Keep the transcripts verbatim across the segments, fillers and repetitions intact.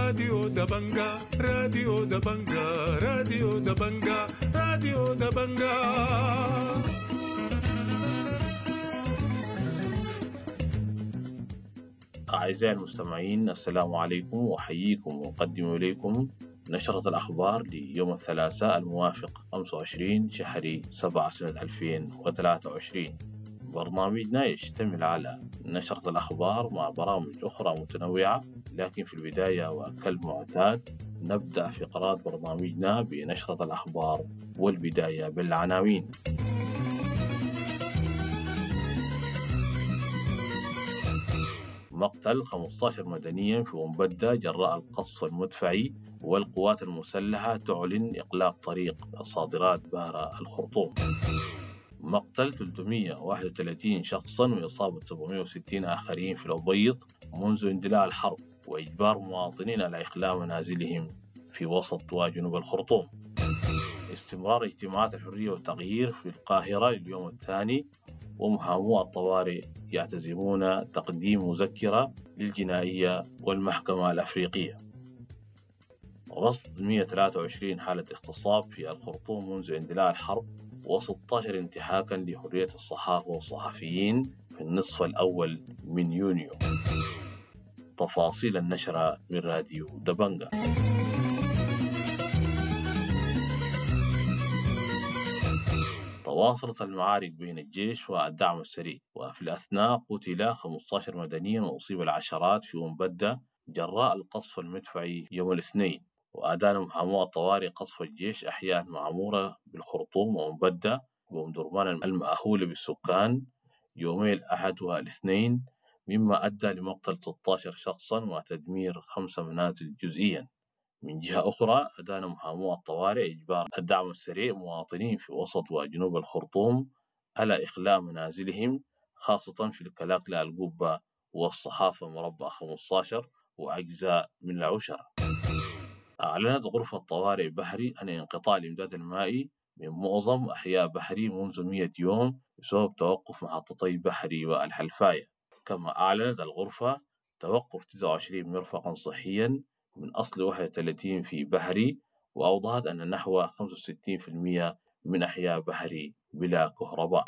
راديو دبنجا، راديو دبنجا، راديو دبنجا، راديو دبنجا. أعزائي المستمعين، السلام عليكم، وأحييكم وأقدم إليكم نشرة الأخبار ليوم الثلاثاء الموافق خمسة وعشرين شهر سبعة سنة ألفين وثلاثة وعشرين. برنامجنا يشتمل على نشرة الأخبار مع برامج أخرى متنوعة، لكن في البداية وكالمعتاد نبدأ فقرات برنامجنا بنشرة الأخبار، والبداية بالعناوين. مقتل خمستاشر مدنيا في أمبدة جراء القصف المدفعي، والقوات المسلحة تعلن إغلاق طريق الصادرات بارا الخرطوم. مقتل ثلاثمية وواحد وثلاثين شخصا وإصابة سبعمية وستين آخرين في الأبيض منذ اندلاع الحرب، وإجبار مواطنين على إخلاء منازلهم في وسط وجنوب الخرطوم. استمرار اجتماعات الحرية والتغيير في القاهرة لليوم الثاني، ومحامو الطوارئ يعتزمون تقديم مذكرة للجنائية والمحكمة الأفريقية. رصد مية وثلاثة وعشرين حالة اغتصاب في الخرطوم منذ اندلاع الحرب، وستاشر انتهاكا لحرية الصحافة والصحفيين في النصف الأول من يونيو. تفاصيل النشرة من راديو دبنجا. تواصلت المعارك بين الجيش والدعم السريع، وفي الأثناء قتل خمستاشر مدنيا وأصيب العشرات في أمبدة جراء القصف المدفعي يوم الاثنين. وأدان محامو الطوارئ قصف الجيش أحياء معمورة بالخرطوم وأمبدة وأم درمان المأهولة بالسكان يومي الأحد والاثنين، مما أدى لمقتل ستاشر شخصا وتدمير خمسة منازل جزئيا. من جهة أخرى، أدان محامو الطوارئ إجبار الدعم السريع مواطنين في وسط وجنوب الخرطوم على إخلاء منازلهم، خاصة في الكلاكلة القبة والصحافة مربع خمستاشر وأجزاء من العشرة. أعلنت غرفة طوارئ بحري أن انقطاع الإمداد المائي من معظم أحياء بحري منذ مية يوم بسبب توقف محطتي بحري والحلفاية. كما أعلنت الغرفة توقف تسعة وعشرين مرفقا صحيا من أصل واحد وثلاثين في بحري، وأوضحت أن نحو خمسة وستين في المية من أحياء بحري بلا كهرباء.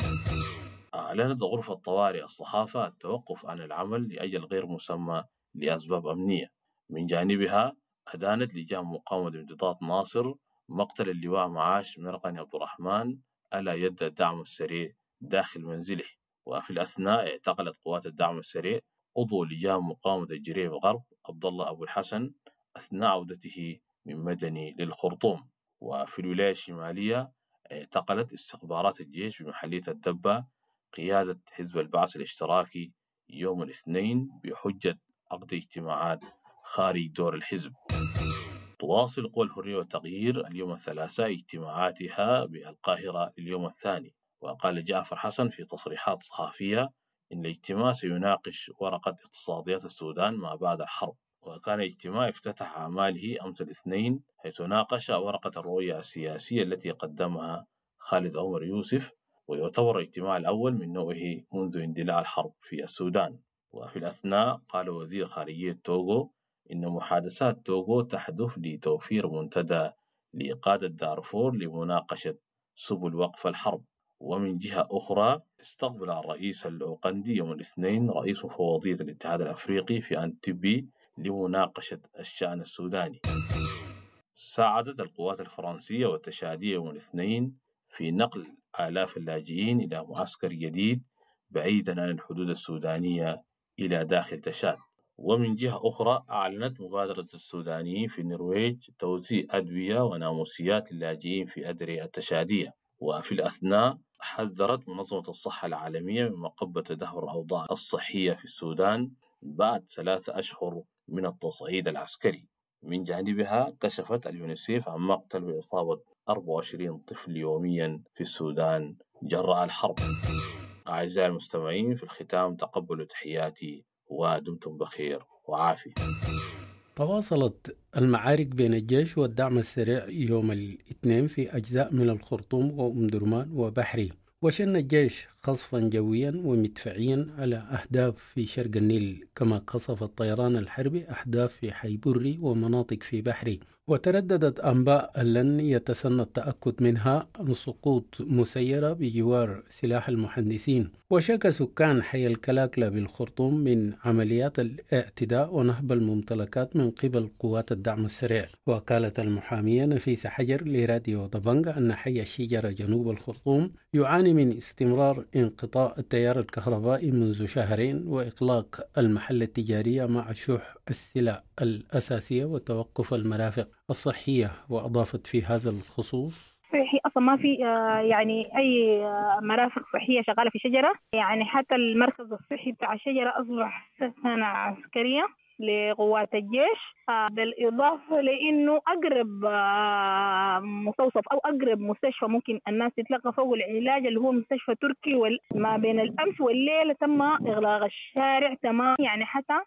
أعلنت غرفة طوارئ الصحافة التوقف عن العمل لأجل غير مسمى لأسباب أمنية. من جانبها أدانت لجان مقاومة امتداد ناصر مقتل اللواء معاش مرقني عبد الرحمن على يد الدعم السريع داخل منزله. وفي الأثناء اعتقلت قوات الدعم السريع عضو لجان مقاومة الجريف غرب عبد الله أبو الحسن أثناء عودته من مدني للخرطوم. وفي الولاية الشمالية اعتقلت استخبارات الجيش بمحلية الدبة قيادة حزب البعث الاشتراكي يوم الاثنين بحجة عقد اجتماعات خارج دور الحزب. تواصل قوى الحرية والتغيير اليوم الثلاثاء اجتماعاتها بالقاهرة اليوم الثاني. وقال جعفر حسن في تصريحات صحفية إن الاجتماع سيناقش ورقة اقتصاديات السودان ما بعد الحرب. وكان الاجتماع افتتح أعماله أمس الاثنين، حيث ناقش ورقة الرؤية السياسية التي قدمها خالد عمر يوسف، ويعتبر الاجتماع الأول من نوعه منذ اندلاع الحرب في السودان. وفي الأثناء قال وزير خارجية توغو إن محادثات توغو تهدف لتوفير منتدى لقادة دارفور لمناقشة سبل وقف الحرب. ومن جهة أخرى استقبل الرئيس الأوغندي يوم الاثنين رئيس مفوضية الاتحاد الأفريقي في أنتبي لمناقشة الشأن السوداني. ساعدت القوات الفرنسية والتشادية يوم الاثنين في نقل آلاف اللاجئين إلى معسكر جديد بعيدا عن الحدود السودانية إلى داخل تشاد. ومن جهة أخرى أعلنت مبادرة السودانيين في النرويج توزيع أدوية وناموسيات للاجئين في أدري التشادية. وفي الأثناء حذرت منظمة الصحة العالمية من مقبة تدهور الأوضاع الصحية في السودان بعد ثلاثة أشهر من التصعيد العسكري. من جانبها كشفت اليونيسيف عن مقتل وإصابة أربعة وعشرين طفل يوميا في السودان جراء الحرب. أعزائي المستمعين، في الختام تقبلوا تحياتي ودمتم بخير وعافية. تواصلت المعارك بين الجيش والدعم السريع يوم الاثنين في أجزاء من الخرطوم وأم درمان وبحري، وشن الجيش قصفا جويا ومدفعيا على أهداف في شرق النيل، كما قصف الطيران الحربي أهداف في حي بري ومناطق في بحري. وترددت أنباء لن يتسنى التأكد منها عن سقوط مسيرة بجوار سلاح المهندسين. وشكى سكان حي الكلاكلة بالخرطوم من عمليات الاعتداء ونهب الممتلكات من قبل قوات الدعم السريع. وقالت المحامية نفيسة حجر لراديو دبنجا أن حي الشجرة جنوب الخرطوم يعاني من استمرار انقطاع التيار الكهربائي منذ شهرين وإغلاق المحل التجارية مع شح السلع الأساسية وتوقف المرافق الصحية. وأضافت في هذا الخصوص: صحي أصلا ما في يعني أي مرافق صحية شغالة في شجرة، يعني حتى المركز الصحي بتاع الشجرة أصبح سكنة عسكرية لقوات الجيش، بالإضافة لأنه أقرب مستوصف أو أقرب مستشفى ممكن الناس تتلقى فوق العلاج اللي هو مستشفى تركي، ما بين الأمس والليلة تم إغلاق الشارع تمام يعني حتى.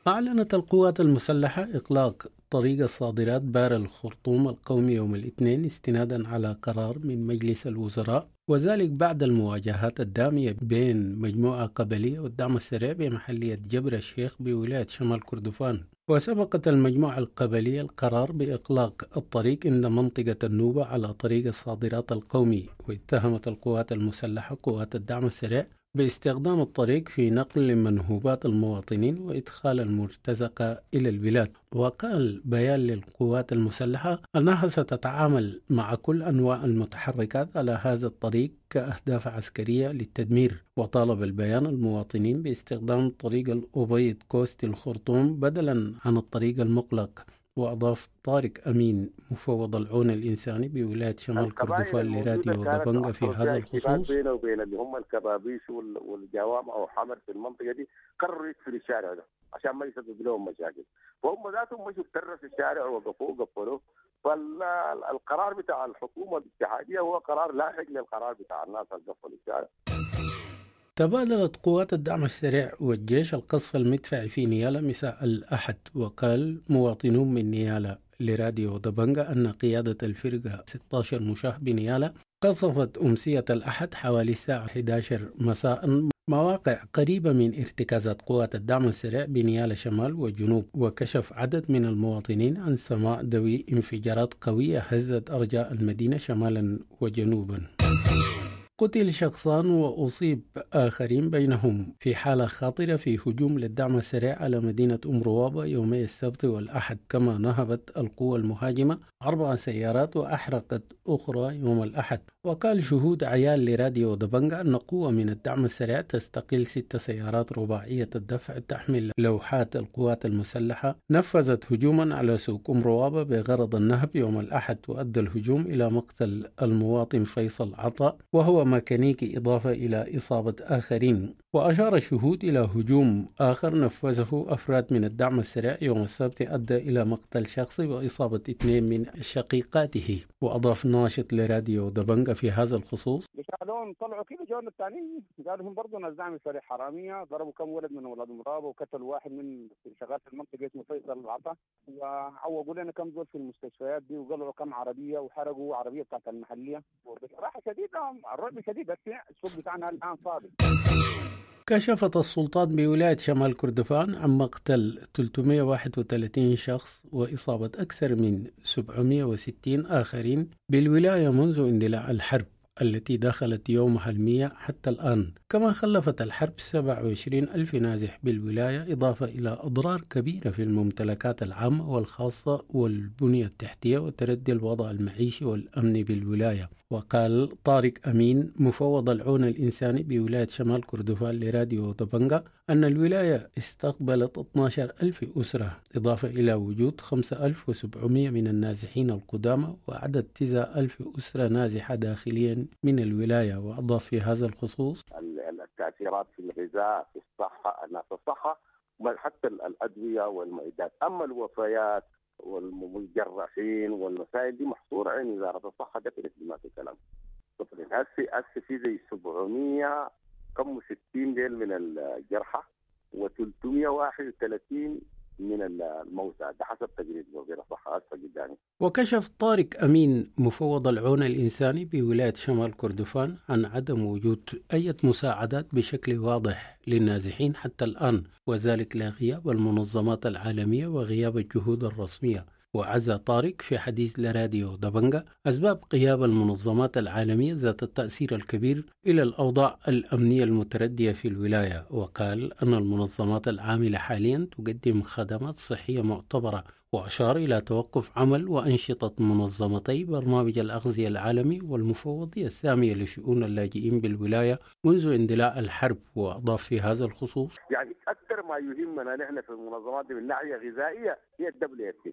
أعلنت القوات المسلحة إغلاق طريق الصادرات بار الخرطوم القومي يوم الاثنين استنادا على قرار من مجلس الوزراء، وذلك بعد المواجهات الدامية بين مجموعة قبلية والدعم السريع بمحلية جبر الشيخ بولاية شمال كردفان. وسبقت المجموعة القبلية القرار بإغلاق الطريق عند منطقة النوبة على طريق الصادرات القومي، واتهمت القوات المسلحة قوات الدعم السريع باستخدام الطريق في نقل منهوبات المواطنين وإدخال المرتزقة إلى البلاد. وقال بيان للقوات المسلحة أنها ستتعامل مع كل أنواع المتحركات على هذا الطريق كأهداف عسكرية للتدمير. وطالب البيان المواطنين باستخدام طريق الأبيض كوستي الخرطوم بدلا عن الطريق المغلق. وأضاف طارق أمين مفوض العون الإنساني بولاية شمال كردفان لراديو دبنجا في هذا الخصوص: بينه وبين اللي هم الكبابيش والجوامع وحمر في المنطقة دي قرروا يقفلوا الشارع ده عشان ما يسبب لهم مشاكل، فهم ذاتهم مشوا في الشارع ووقفوه وقفلوه. فالقرار بتاع الحكومة الاتحادية هو قرار لاحق للقرار بتاع الناس اللي قفلوا الشارع. تبادلت قوات الدعم السريع والجيش القصف المدفعي في نيالا مساء الأحد. وقال مواطنون من نيالا لراديو دبنجا أن قيادة الفرقة ستة عشر مشاه بنيالا قصفت أمسية الأحد حوالي الساعة إحدى عشرة مساء مواقع قريبة من ارتكازات قوات الدعم السريع بنيالا شمال وجنوب. وكشف عدد من المواطنين عن سماع دوي انفجارات قوية هزت أرجاء المدينة شمالا وجنوبا. قتل شخصان وأصيب آخرين بينهم في حالة خطيرة في هجوم للدعم السريع على مدينة أم روابة يومي السبت والأحد، كما نهبت القوى المهاجمة أربع سيارات وأحرقت أخرى يوم الأحد. وقال شهود عيال لراديو دبنجا أن قوة من الدعم السريع تستقل ست سيارات رباعية الدفع تحمل لوحات القوات المسلحة نفذت هجوما على سوق أم روابة بغرض النهب يوم الأحد، وأدى الهجوم إلى مقتل المواطن فيصل عطاء وهو ميكانيكي إضافة إلى إصابة آخرين. وأشار الشهود إلى هجوم آخر نفذه أفراد من الدعم السريع يوم السبت أدى إلى مقتل شخص وإصابة اثنين من شقيقاته. وأضاف ناشط لراديو دبنجا في هذا الخصوص: شالون طلعوا كده جونا الثانيين قالوا هم برضه ناس دعم السريع حرامية، ضربوا كم ولد من اولاد مرابه وقتلوا واحد من شغال في المنطقة اسمه فيصل العطا، وعوقوا لنا كم زول في المستشفيات دي، وقلعوا كم عربية وحرقوا عربية بتاعت المحلية. وبصراحة شديدة الرعب شديد، بس السوق بتاعنا الان فاضي. كشفت السلطات بولاية شمال كردفان عن مقتل ثلاثمئة وواحد وثلاثين شخص وإصابة أكثر من سبعمئة وستين آخرين بالولاية منذ اندلاع الحرب التي دخلت يومها المية حتى الآن. كما خلفت الحرب سبعة وعشرين ألف نازح بالولاية، إضافة إلى أضرار كبيرة في الممتلكات العامة والخاصة والبنية التحتية وتردي الوضع المعيشي والأمني بالولاية. وقال طارق أمين مفوض العون الإنساني بولاية شمال كردفان لراديو دبنجا أن الولاية استقبلت اثنا عشر ألف أسرة، إضافة إلى وجود خمسة آلاف وسبعمئة من النازحين القدامى وعدد تسعة آلاف أسرة نازحة داخليا من الولاية. وأضاف في هذا الخصوص: التأثيرات في الغذاء، في الصحة، الناس الصحة، حتى الأدوية والمعدات. أما الوفيات والمجرحين والمسائل دي محصورة عند وزارة الصحة، ده ما في كلام. هسه هسه في زي سبعمئة كم وستين ديل من الجرحى وثلاثمئة وواحد وثلاثين من الموتى، ده حسب تقرير وزير الصحة هسه قدامي. وكشف طارق أمين مفوض العون الإنساني بولاية شمال كردفان عن عدم وجود أي مساعدات بشكل واضح للنازحين حتى الآن، وذلك لغياب المنظمات العالمية وغياب الجهود الرسمية. وعزى طارق في حديث لراديو دبنجة أسباب غياب المنظمات العالمية ذات التأثير الكبير إلى الأوضاع الأمنية المتردية في الولاية، وقال أن المنظمات العاملة حاليا تقدم خدمات صحية معتبرة، وأشار إلى توقف عمل وأنشطة منظمتي برنامج الأغذية العالمي والمفوضية السامية لشؤون اللاجئين بالولاية منذ اندلاع الحرب. وأضاف في هذا الخصوص: يعني أكثر ما يهمنا نحن في المنظمات من ناحية غذائية هي ال WFP،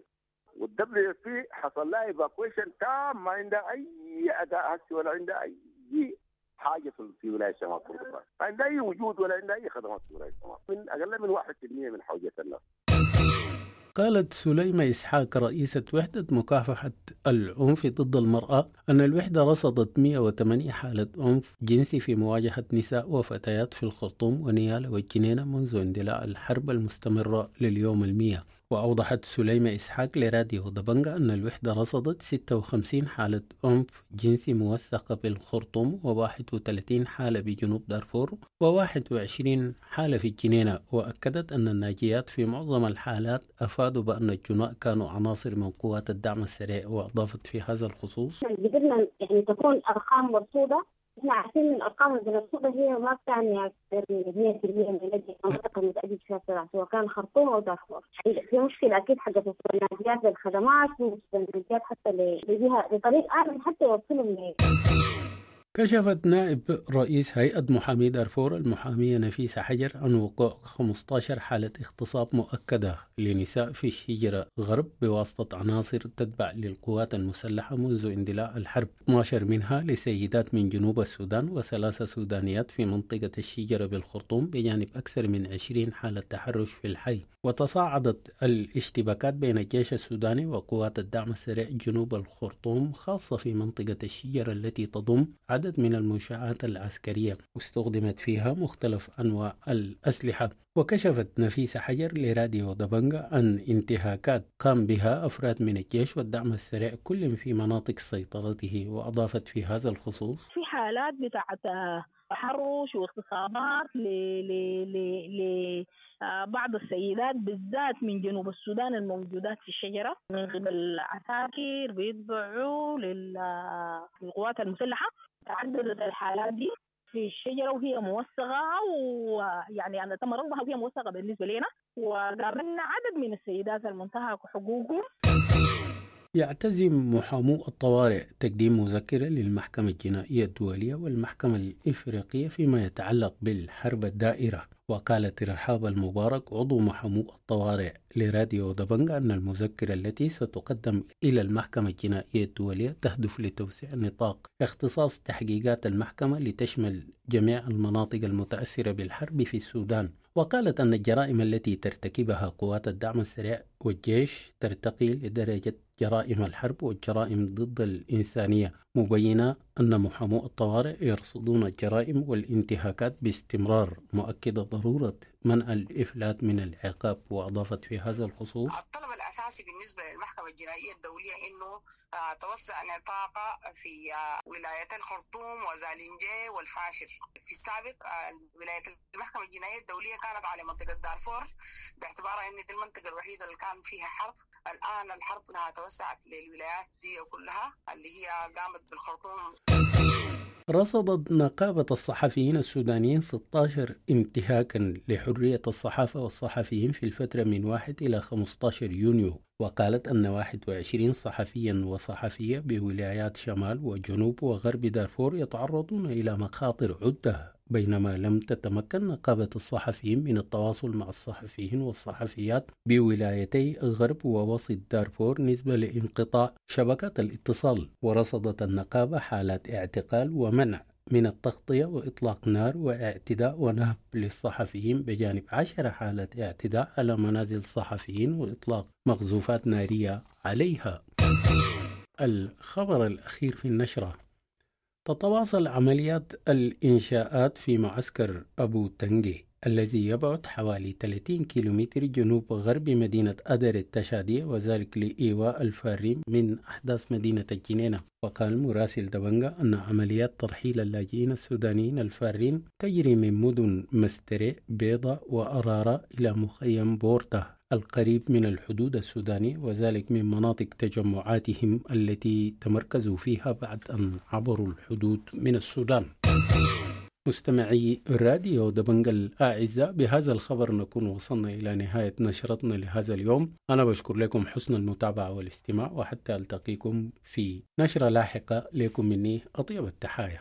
وال WFP حصل لها evacuation تام، ما عندها اي اداء هسه ولا عندها اي حاجه في ولايه شمال كردفان، ما عندها اي وجود ولا عندها اي خدمات في ولايه شمال، من اقل من واحد بالمئة من حوجه الناس. قالت سليمة إسحاق رئيسة وحدة مكافحة العنف ضد المرأة أن الوحدة رصدت مئة وثمانية حالة عنف جنسي في مواجهة نساء وفتيات في الخرطوم ونيالا والجنينة منذ اندلاع الحرب المستمرة لليوم المية. وأوضحت سليمة إسحاق لراديو دبنجة أن الوحدة رصدت ستة وخمسين حالة عنف جنسي موثقة بالخرطوم، وواحد وثلاثين حالة بجنوب دارفور، وواحد وعشرين حالة في الجنينة. وأكدت أن الناجيات في معظم الحالات أفادوا بأن الجناء كانوا عناصر من قوات الدعم السريع. وأضافت في هذا الخصوص: قدرنا يعني تكون أرقام مرصودة، احنا عارفين ان الارقام المرصوده هي ما بتعني اكثر من مئة بالمئة من الذي المنطقه المتأجج فيها الصراع سواء كان خرطوم او دارفور. في مشكله اكيد حقت الناجيات للخدمات، والناجيات حتى لجهه لطريق امن حتى يوصلهم. كشفت نائب رئيس هيئة محامي دارفور المحامية نفيسة حجر عن وقوع خمسة عشر حالة اغتصاب مؤكدة لنساء في الشجرة غرب بواسطة عناصر تتبع للقوات المسلحة منذ اندلاع الحرب، اثنا عشر منها لسيدات من جنوب السودان وثلاثة سودانيات في منطقة الشجرة بالخرطوم، بجانب أكثر من عشرين حالة تحرش في الحي. وتصاعدت الاشتباكات بين الجيش السوداني وقوات الدعم السريع جنوب الخرطوم، خاصة في منطقة الشجرة التي تضم عدد من المنشآت العسكرية واستخدمت فيها مختلف أنواع الأسلحة. وكشفت نفيسة حجر لراديو دبنجة عن انتهاكات قام بها أفراد من الجيش والدعم السريع كل في مناطق سيطرته. وأضافت في هذا الخصوص: في حالات بتاعت تحرش واغتصابات ل ل بعض السيدات بالذات من جنوب السودان الموجودات في الشجرة من قبل عساكر بيتبعوا للقوات المسلحة. تعددت الحالات دي في الشجرة وهي موثقة، ويعني أنا تم رصدها وهي موثقة بالنسبة لنا، وقابلنا عدد من السيدات المنتهك حقوقهم. يعتزم محامو الطوارئ تقديم مذكرة للمحكمة الجنائية الدولية والمحكمة الإفريقية فيما يتعلق بالحرب الدائرة. وقالت رحاب المبارك عضو محامو الطوارئ لراديو دبنجة أن المذكرة التي ستقدم إلى المحكمة الجنائية الدولية تهدف لتوسيع نطاق اختصاص تحقيقات المحكمة لتشمل جميع المناطق المتأثرة بالحرب في السودان. وقالت أن الجرائم التي ترتكبها قوات الدعم السريع والجيش ترتقي لدرجة جرائم الحرب والجرائم ضد الإنسانية، مبينة أن محامو الطوارئ يرصدون الجرائم والانتهاكات باستمرار، مؤكدة ضرورة منع الإفلات من العقاب. وأضافت في هذا الخصوص: الطلب الأساسي بالنسبة للمحكمة الجنائية الدولية أنه توسع نطاقها في ولاية الخرطوم وزالنجي والفاشر. في السابق ولاية المحكمة الجنائية الدولية كانت على منطقة دارفور باعتبارها أن دي المنطقة الوحيدة اللي كان فيها حرب. الآن الحرب توسعت للولايات دي كلها اللي هي قامت بالخرطوم. رصدت نقابة الصحفيين السودانيين ستة عشر انتهاكا لحرية الصحافة والصحفيين في الفترة من واحد إلى خمسة عشر يونيو، وقالت أن واحد وعشرين صحفيا وصحفية بولايات شمال وجنوب وغرب دارفور يتعرضون إلى مخاطر عدة، بينما لم تتمكن نقابة الصحفيين من التواصل مع الصحفيين والصحفيات بولايتي غرب ووسط دارفور نسبة لانقطاع شبكات الاتصال. ورصدت النقابة حالات اعتقال ومنع من التغطية وإطلاق نار واعتداء ونهب للصحفيين، بجانب عشر حالات اعتداء على منازل الصحفيين وإطلاق مقذوفات نارية عليها. الخبر الأخير في النشرة: تتواصل عمليات الإنشاءات في معسكر أبو تنجي. الذي يبعد حوالي ثلاثين كيلومتر جنوب غرب مدينة أدري التشادية، وذلك لإيواء الفارين من أحداث مدينة الجنينة. وقال مراسل دبنجا أن عمليات ترحيل اللاجئين السودانيين الفارين تجري من مدن مستري، بيضة وأرارة إلى مخيم بورتا القريب من الحدود السوداني، وذلك من مناطق تجمعاتهم التي تمركزوا فيها بعد أن عبروا الحدود من السودان. مستمعي راديو دبنجا الأعزاء، بهذا الخبر نكون وصلنا إلى نهاية نشرتنا لهذا اليوم. أنا بشكر لكم حسن المتابعة والاستماع، وحتى ألتقيكم في نشرة لاحقة. لكم مني أطيب التحايا.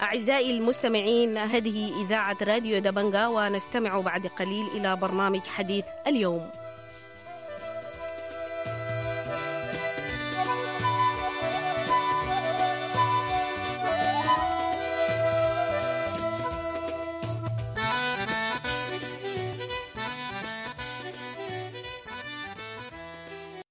أعزائي المستمعين، هذه إذاعة راديو دبنجا، ونستمع بعد قليل إلى برنامج حديث اليوم.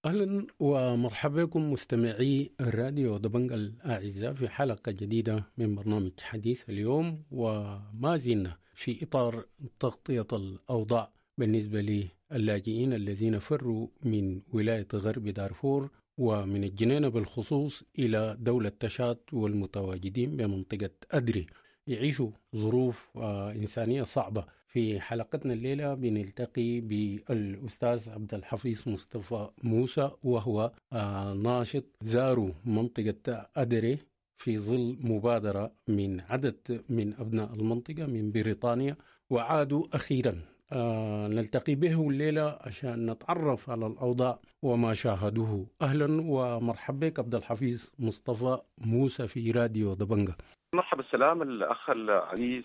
أهلا ومرحبا بكم مستمعي الراديو دبنجا الأعزاء في حلقة جديدة من برنامج حديث اليوم، وما زلنا في إطار تغطية الأوضاع بالنسبة للاجئين الذين فروا من ولاية غرب دارفور ومن الجنينة بالخصوص إلى دولة تشاد والمتواجدين بمنطقة أدري، يعيشوا ظروف إنسانية صعبة. في حلقتنا الليلة بنلتقي بالأستاذ عبد الحفيظ مصطفى موسى، وهو ناشط زاروا منطقة أدري في ظل مبادرة من عدد من أبناء المنطقة من بريطانيا، وعادوا أخيرا. نلتقي به الليلة عشان نتعرف على الأوضاع وما شاهدوه. أهلا ومرحبا بك عبد الحفيظ مصطفى موسى في راديو دبنجا. مرحبا، السلام الأخ العزيز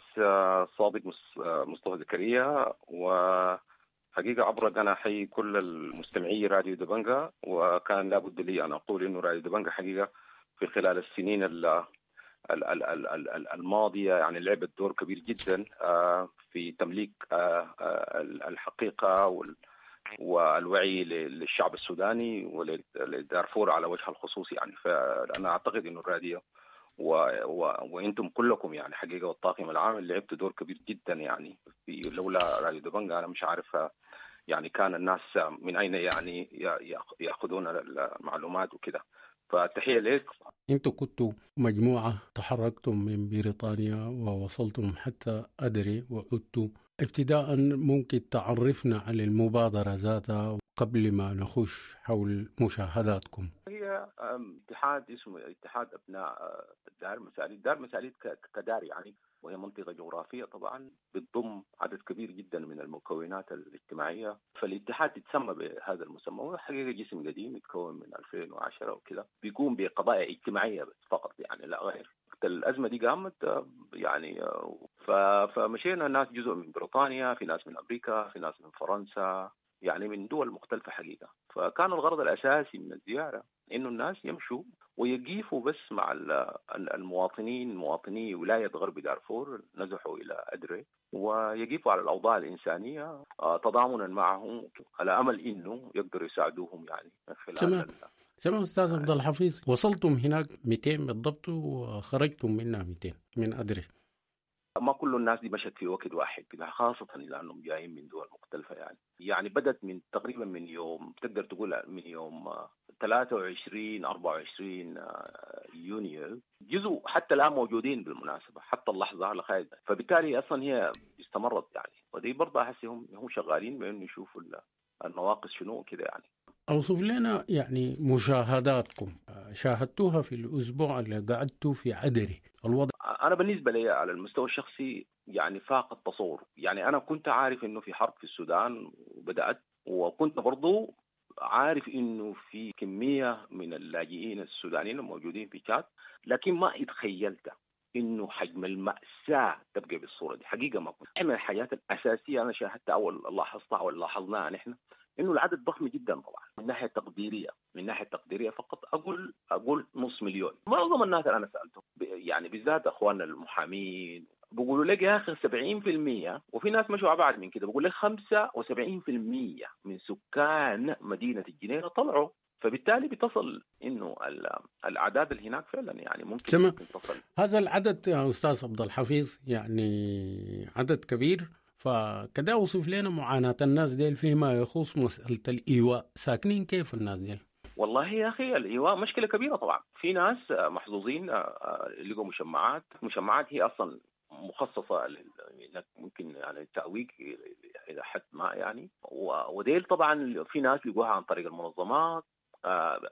صادق مصطفى زكريا، وحقيقة عبرك أنا أحيي كل المستمعي راديو دبنجا، وكان لابد لي أن أقول إنه راديو دبنجا حقيقة في خلال السنين الماضية يعني لعبت دور كبير جدا في تمليك الحقيقة والوعي للشعب السوداني ولدارفور على وجه الخصوص يعني. فأنا أعتقد إنه الراديو و... و... وانتم كلكم يعني حقيقه والطاقم العام لعبتوا دور كبير جدا يعني. في لولا راديو دبنجا انا مش عارف يعني كان الناس من اين يعني ياخذون المعلومات وكده. فتحيه لك. انتم كنتوا مجموعه تحركتم من بريطانيا ووصلتم حتى أدري وعدتوا. ابتداء ممكن تعرفنا على المبادره ذاتها قبل ما نخش حول مشاهداتكم؟ هي اتحاد اسمه اتحاد أبناء دار مساليت. دار مساليت كدار يعني، وهي منطقة جغرافية طبعا بتضم عدد كبير جدا من المكونات الاجتماعية، فالاتحاد يتسمى بهذا المسمى. وهو حقيقة جسم قديم يتكون من ألفين وعشرة وكذا، بيقوم بقضايا اجتماعية بس فقط يعني لا غير. الأزمة دي قامت يعني، فمشينا ناس جزء من بريطانيا، في ناس من أمريكا، في ناس من فرنسا، يعني من دول مختلفة حقيقة. فكان الغرض الأساسي من الزيارة إنه الناس يمشوا ويقيفوا بس مع المواطنين، مواطني ولاية غرب دارفور نزحوا إلى أدري، ويقيفوا على الأوضاع الإنسانية تضامنا معهم على أمل إنه يقدروا يساعدوهم يعني من خلال. سمع سمع أستاذ عبد الحفيظ، وصلتم هناك مئتين بالضبط وخرجتم منها مئتين من أدري. ما كل الناس دي مشت في وقت واحد كده، خاصة لأنهم جايين من دول مختلفة يعني. يعني بدت من تقريبا من يوم، تقدر تقول من يوم ثلاثة وعشرين أربعة وعشرين يونيو، جزء حتى الآن موجودين بالمناسبة حتى اللحظة لغاية. فبالتالي أصلا هي استمرت يعني، ودي برضه أحس هم هم شغالين بأنه يشوفوا النواقص شنو كده يعني. أوصف لنا يعني مشاهداتكم شاهدتوها في الأسبوع اللي قعدتوا في عدري الوضع. أنا بالنسبة لي على المستوى الشخصي يعني فاق التصور. يعني أنا كنت عارف إنه في حرب في السودان وبدأت، وكنت برضو عارف إنه في كمية من اللاجئين السودانيين الموجودين في تشاد، لكن ما اتخيلت انه حجم المأساة تبقى بالصورة دي، حقيقة ما كنت. من الحاجات الاساسية انا شاهدتها او لاحظتها او لاحظناها نحن انه العدد ضخم جدا طبعا من ناحية تقديرية، من ناحية تقديرية فقط اقول اقول نص مليون. معظم الناس اللي انا سالتهم يعني بالذات اخواننا المحامين بيقولوا لك يا اخي سبعين بالمية، وفي ناس مشوا ابعد من كده بيقول لك خمسة وسبعين بالمية من سكان مدينة الجنينة طلعوا، فبالتالي بتصل انه الاعداد اللي هناك فعلا يعني ممكن, ممكن تصل. هذا العدد يا استاذ عبد الحفيظ يعني عدد كبير، فكده اوصف لنا معاناة الناس ديل فيما يخص مسألة الإيواء، ساكنين كيف الناس ديل؟ والله يا أخي الإيواء مشكلة كبيرة طبعا. في ناس محظوظين لقوا مشمعات، مشمعات هي أصلا مخصصة انك ممكن يعني تأويك إلى حد ما يعني، وديل طبعا في ناس لقوها عن طريق المنظمات،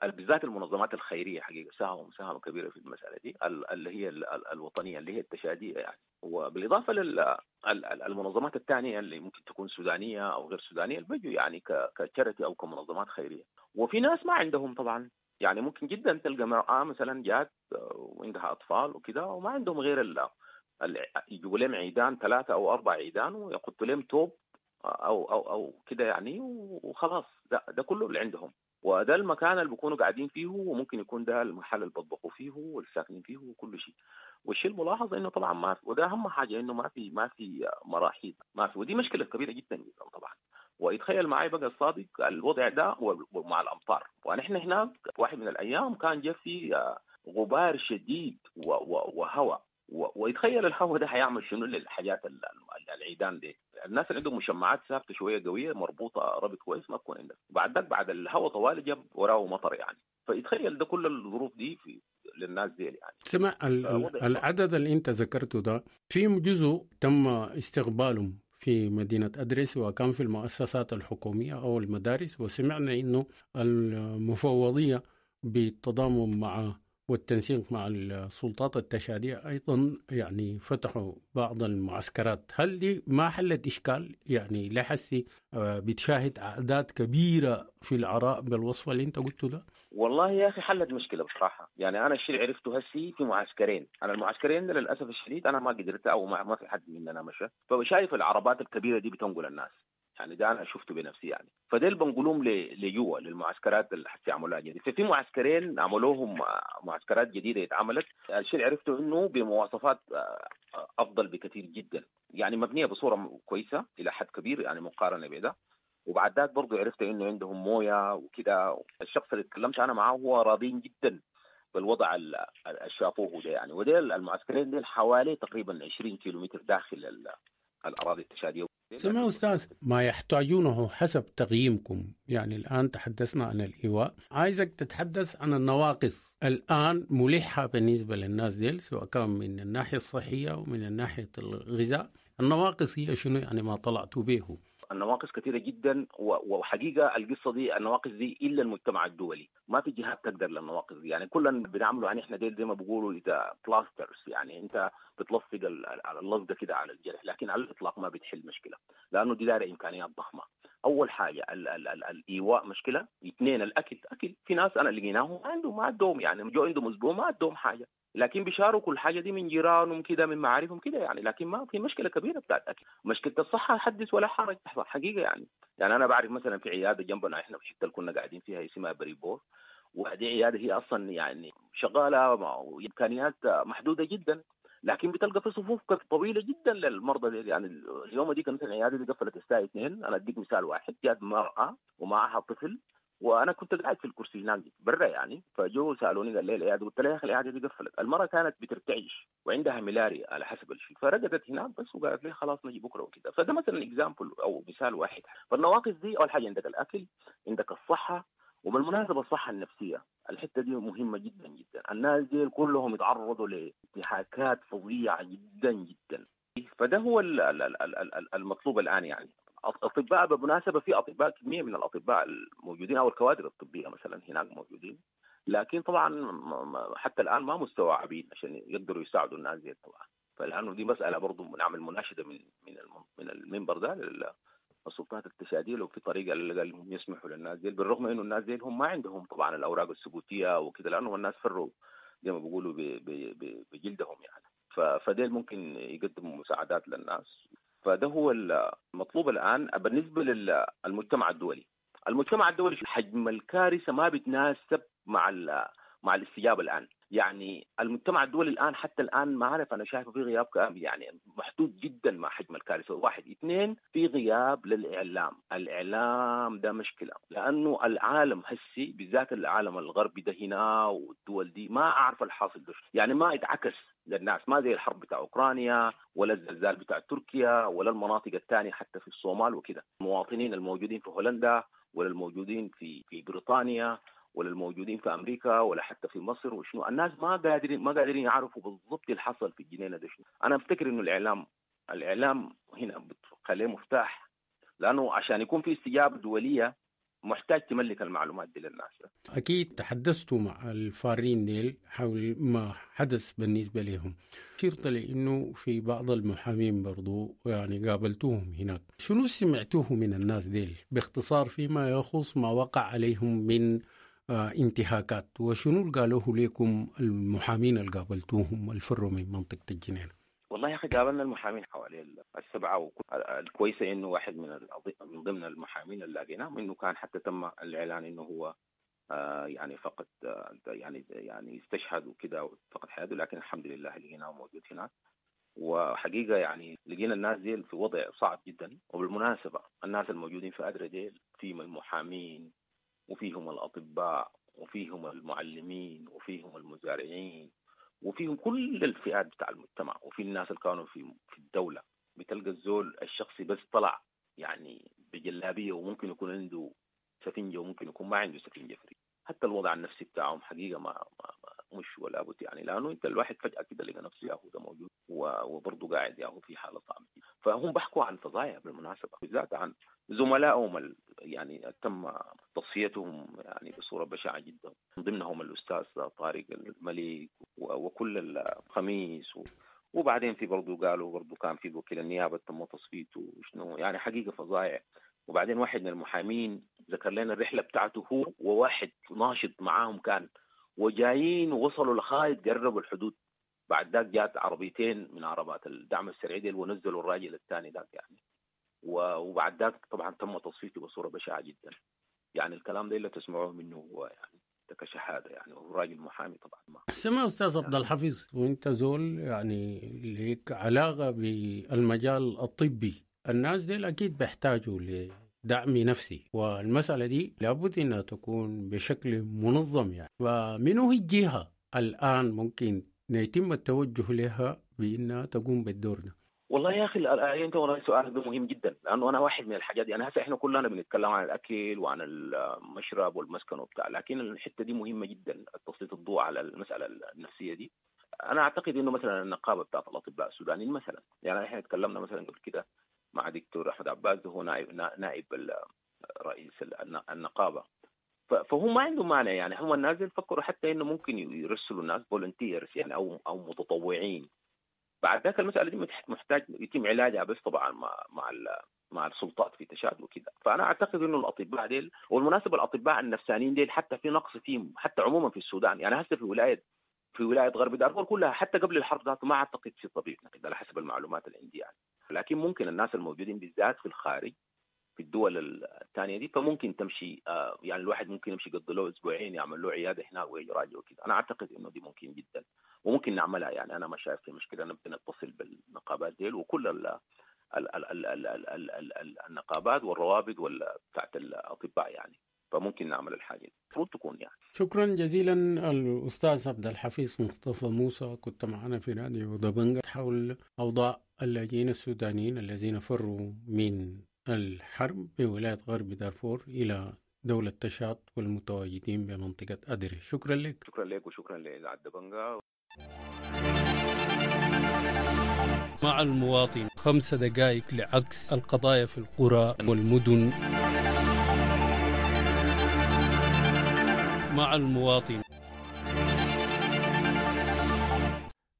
بالذات المنظمات الخيرية حقيقة ساهموا مساهمة كبيرة في المسألة دي اللي هي الوطنية اللي هي التشادية يعني، وبالإضافة للمنظمات الثانية اللي ممكن تكون سودانية أو غير سودانية اللي بيجوا يعني كشركة أو كمنظمات خيرية. وفي ناس ما عندهم طبعا، يعني ممكن جدا تلقى مرأة مثلا جات وعندها أطفال وكده وما عندهم غير ال يجيبوا لهم عيدان ثلاثة أو أربع عيدان ويحطوا لهم توب أو أو أو كده يعني وخلاص، ده ده كله اللي عندهم، وده المكان اللي بيكونوا قاعدين فيه، وممكن يكون ده المحل اللي بيطبخوا فيه والساكنين فيه وكل شيء. والشيء الملاحظ انه طبعا ما في، وده اهم حاجة انه ما في ما في مراحيض، ما في، ودي مشكلة كبيرة جدا جدا طبعا. ويتخيل معي بقى الصادق الوضع ده ومع الامطار، ونحن هناك واحد من الايام كان جا في غبار شديد وهواء، ويتخيل الهواء ده هيعمل شنو للحاجات العيدان دي. الناس اللي عندهم مشمعات ثابتة شوية قوية مربوطة ربط كويس ما تكون عندك، بعد ذاك بعد الهواء طوال جاب وراه مطر يعني، فيتخيل ده كل الظروف دي في للناس دي يعني. سمع العدد اللي انت ذكرته ده في جزء تم استقبالهم في مدينة أدريس وكان في المؤسسات الحكومية أو المدارس، وسمعنا إنه المفوضية بالتضامن مع والتنسيق مع السلطات التشادية أيضا يعني فتحوا بعض المعسكرات. هل دي ما حلت إشكال؟ يعني لحسي بتشاهد أعداد كبيرة في العراء بالوصفة اللي أنت قلته ده؟ والله يا أخي حلت مشكلة بصراحة. يعني أنا الشيء اللي عرفته هسي في معسكرين، أنا المعسكرين ده للأسف الشديد أنا ما قدرت أو ما في حد مننا مشى، فشايف العربات الكبيرة دي بتنقل الناس يعني، ده أنا شفته بنفسي يعني، فديل بنقولهم لجوا للمعسكرات اللي حتى عملوها جديد. ففي معسكرين عملوهم معسكرات جديدة اتعملت، الشيء اللي عرفته إنه بمواصفات أفضل بكثير جدا يعني، مبنية بصورة كويسة إلى حد كبير يعني مقارنة بده. وبعد ذاك برضو عرفت إنه عندهم موية وكده. الشخص اللي تكلمت أنا معاه هو راضين جدا بالوضع اللي شافوه ده يعني. وديل المعسكرين ديل حوالي تقريبا عشرين كيلومتر داخل الأراضي التشادية. سمع أستاذ، ما يحتاجونه حسب تقييمكم، يعني الآن تحدثنا عن الإيواء، عايزك تتحدث عن النواقص الآن ملحة بالنسبة للناس ديل، سواء كان من الناحية الصحية ومن الناحية الغذاء. النواقص هي شنو يعني ما طلعتوا به؟ النواقص كثيرة جدا، وحقيقة القصة دي النواقص دي إلا المجتمع الدولي ما في جهات تقدر للنواقص دي يعني. كلنا بنعمله يعني احنا ديل زي ما بيقولوا إذا plasters، يعني أنت بتلصق اللصقة كده على الجرح، لكن على الإطلاق ما بتحل مشكلة، لأنه دي دايرة إمكانيات ضخمة. أول حاجة ال ال ال الإيواء مشكلة، اثنين الأكل. أكل في ناس أنا لقيناهم عندهم ما عندهم يعني، جو عندهم أسبوع ما عندهم حاجة، لكن بيشاركوا الحاجة دي من جيرانهم كده من معارفهم كده يعني، لكن ما في مشكلة كبيرة بتاعت الاكل. مشكلة الصحة حدث ولا حرج حقيقة يعني. يعني انا بعرف مثلا في عيادة جنبنا احنا في الحتة اللي كنا قاعدين فيها اسمها بريبور، وهذه عيادة هي اصلا يعني شغالة وامكانيات محدودة جدا، لكن بتلقى في صفوف طويلة جدا للمرضى دي يعني. اليوم دي كانت العيادة دي قفلت الساعة اثنين. انا اديك مثال واحد، جات مراة ومعها طفل، وانا كنت قاعد في الكرسي هناك برا يعني، فجو سالوني قال لي العيادة، قلت لها يا اخي العيادة دي قفلت. المراة كانت بترتعش وعندها ملاريا على حسب الشيء، فرقدت هناك بس وقالت لي خلاص نجي بكره وكده. فده مثلا example او مثال واحد. فالنواقص دي اول حاجة عندك الاكل، عندك الصحة، وبالمناسبة الصحة النفسية الحتة دي مهمة جدا جدا. الناس دي كلهم يتعرضوا لانتهاكات فظيعة جدا جدا، فده هو المطلوب الان يعني. اطباء بالمناسبة في اطباء، كمية من الاطباء الموجودين او الكوادر الطبية مثلا هناك موجودين، لكن طبعا حتى الان ما مستوعبين عشان يقدروا يساعدوا الناس دي طبعا. فالان دي مسالة برضه نعمل مناشده من من من المنبر ده للسلطات التشاديه، لو في طريقه اللي هم يسمحوا للناس دي، بالرغم انه الناس دي هم ما عندهم طبعا الاوراق الثبوتيه وكذا، لانه الناس فروا زي ما بيقولوا بجلدهم يعني. فديل ممكن يقدموا مساعدات للناس. فده هو المطلوب الآن بالنسبة للمجتمع الدولي. المجتمع الدولي حجم الكارثة ما بتناسب مع مع الاستجابة الآن. يعني المجتمع الدولي الآن حتى الآن ما عارف، أنا شايفه في غياب يعني محدود جدا مع حجم الكارثة. واحد، اثنين، في غياب للإعلام. الإعلام ده مشكلة، لأنه العالم هسي بالذات العالم الغربي ده هنا والدول دي ما أعرف الحاصل ده، يعني ما يتعكس للناس، ما زي الحرب بتاع أوكرانيا ولا الزلزال بتاع تركيا ولا المناطق الثانية حتى في الصومال وكده. المواطنين الموجودين في هولندا ولا الموجودين في في بريطانيا ولا الموجودين في امريكا ولا حتى في مصر وشنو، الناس ما قادرين ما قادرين يعرفوا بالضبط اللي حصل في الجنينه ده شنو. انا افتكر انه الاعلام الاعلام هنا بتخليه مفتاح، لانه عشان يكون في استجابه دوليه محتاج تملك المعلومات دي للناس. اكيد تحدثتوا مع الفارين ديل حول ما حدث بالنسبه لهم، شرط لانه في بعض المحامين برضو يعني قابلتوهم هناك، شنو سمعتوه من الناس ديل باختصار فيما يخص ما وقع عليهم من انتهاكات، وشنو قالوه لكم المحامين اللي قابلتوهم الفروا من منطقة الجنينة؟ والله يا أخي قابلنا المحامين حوالي السبعة، والكويسة إنه واحد من من ضمن المحامين اللي لقيناهم إنه كان حتى تم الإعلان إنه هو آه يعني فقد آه يعني يعني استشهد وكده وفقد حياته، لكن الحمد لله لقيناه موجود هناك. وحقيقة يعني لقينا الناس دي في وضع صعب جدا. وبالمناسبة الناس الموجودين في أدري ديل فيهم المحامين وفيهم الأطباء وفيهم المعلمين وفيهم المزارعين وفيهم كل الفئات بتاع المجتمع، وفي الناس اللي كانوا في في الدولة. بتلقى الزول الشخصي بس طلع يعني بجلابية وممكن يكون عنده سفنجة وممكن يكون ما عنده سفنجة فري. حتى الوضع النفسي بتاعهم حقيقة ما, ما, ما مش ولا بد يعني، لأنه أنت الواحد فجأة كده لقى نفسه ياهو ده موجود وبرضه قاعد ياهو في حالة صعبة. فهم بحكوا عن فظايع بالمناسبة، بالذات عن زملائهم يعني تم تصفيتهم يعني بصورة بشعة جدا، من ضمنهم الأستاذ طارق المليك وكل الخميس و... وبعدين في برضه قالوا برضه كان في وكيل النيابة تم تصفيته وشنو، يعني حقيقة فظايع. وبعدين واحد من المحامين ذكر لنا الرحلة بتاعته هو وواحد ناشط معاهم كان، وجايين ووصلوا لغاية قربوا الحدود. بعد ذاك جات عربيتين من عربات الدعم السريع دي ونزلوا الراجل الثاني ذاك يعني، وبعد ذاك طبعا تم تصفيته بصورة بشعة جدا. يعني الكلام ده اللي تسمعوه منه هو يعني كشهادة يعني، وهو راجل محامي طبعا. ما سمع أستاذ عبد الحفيظ، وانت زول يعني ليك علاقة بالمجال الطبي، الناس دي أكيد بيحتاجوا لدعم نفسي، والمسألة دي لابد أنها تكون بشكل منظم يعني. فمنه الجهة الآن ممكن يتم التوجه لها بأنها تقوم بالدور ده؟ والله يا أخي أنت والله سؤالك ده مهم جدا، لأنه أنا واحد من الحاجات دي. أنا هسه إحنا كلنا بنتكلم عن الأكل وعن المشرب والمسكن وبتاع، لكن الحتة دي مهمة جدا، تسليط الضوء على المسألة النفسية دي. أنا أعتقد إنه مثلا النقابة بتاعت الأطباء السودانيين مثلا، يعني إحنا تكلمنا مثلا قبل كده مع دكتور أحمد عباس، هو نائب نائب رئيس النقابة، فهم ما عندهم مانع يعني. هم الناس فكروا حتى إنه ممكن يرسلوا الناس volunteers يعني أو أو متطوعين. بعد ذاك المسألة دي محتاج يتم علاجها بس طبعا مع مع مع السلطات في تشاد وكده. فأنا أعتقد إنه الأطباء ديل، والمناسبة الأطباء النفسانيين ديل حتى في نقص فيهم حتى عموما في السودان يعني. هسه في ولاية في ولاية غرب دارفور كلها حتى قبل الحرب ذاته ما أعتقد في طبيب على حسب المعلومات اللي عندي يعني. لكن ممكن الناس الموجودين بالذات في الخارج في الدول الثانية دي فممكن تمشي، يعني الواحد ممكن يمشي يقضي له أسبوعين يعمل له عيادة هناك ويراجع وكده. أنا أعتقد إنه دي ممكن جدا وممكن نعملها يعني. أنا ما شايف في مشكلة، أنا بنتصل بالنقابات ديل وكل ال ال ال ال ال ال ال ال ال النقابات والروابط ولا بتاعت الأطباء يعني، فممكن نعمل الحاجة دي المفروض تكون يعني. شكرا جزيلا الأستاذ عبد الحفيظ مصطفى موسى، كنت معنا في راديو دبنجة حول أوضاع اللاجئين السودانيين الذين فروا من الحرب بولاية غرب دارفور إلى دولة تشاد والمتواجدين بمنطقة أدري. شكرا لك. شكرا لك وشكرا لإذاعة دبنجة. مع المواطن خمس دقائق لعكس القضايا في القرى والمدن. مع المواطن.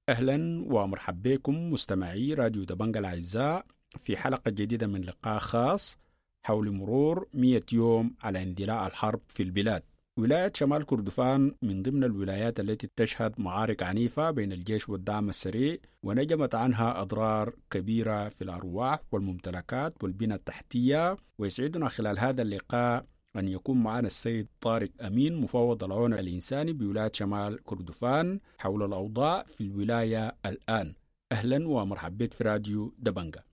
أهلا ومرحبا بكم مستمعي راديو دبنجة الأعزاء في حلقة جديدة من لقاء خاص حول مرور مئة يوم على اندلاع الحرب في البلاد. ولاية شمال كردفان من ضمن الولايات التي تشهد معارك عنيفة بين الجيش والدعم السريع، ونجمت عنها أضرار كبيرة في الأرواح والممتلكات والبنى التحتية. ويسعدنا خلال هذا اللقاء أن يكون معنا السيد طارق أمين، مفوض العون الإنساني بولاية شمال كردفان، حول الأوضاع في الولاية الآن. أهلا ومرحبا بك في راديو دبنجة.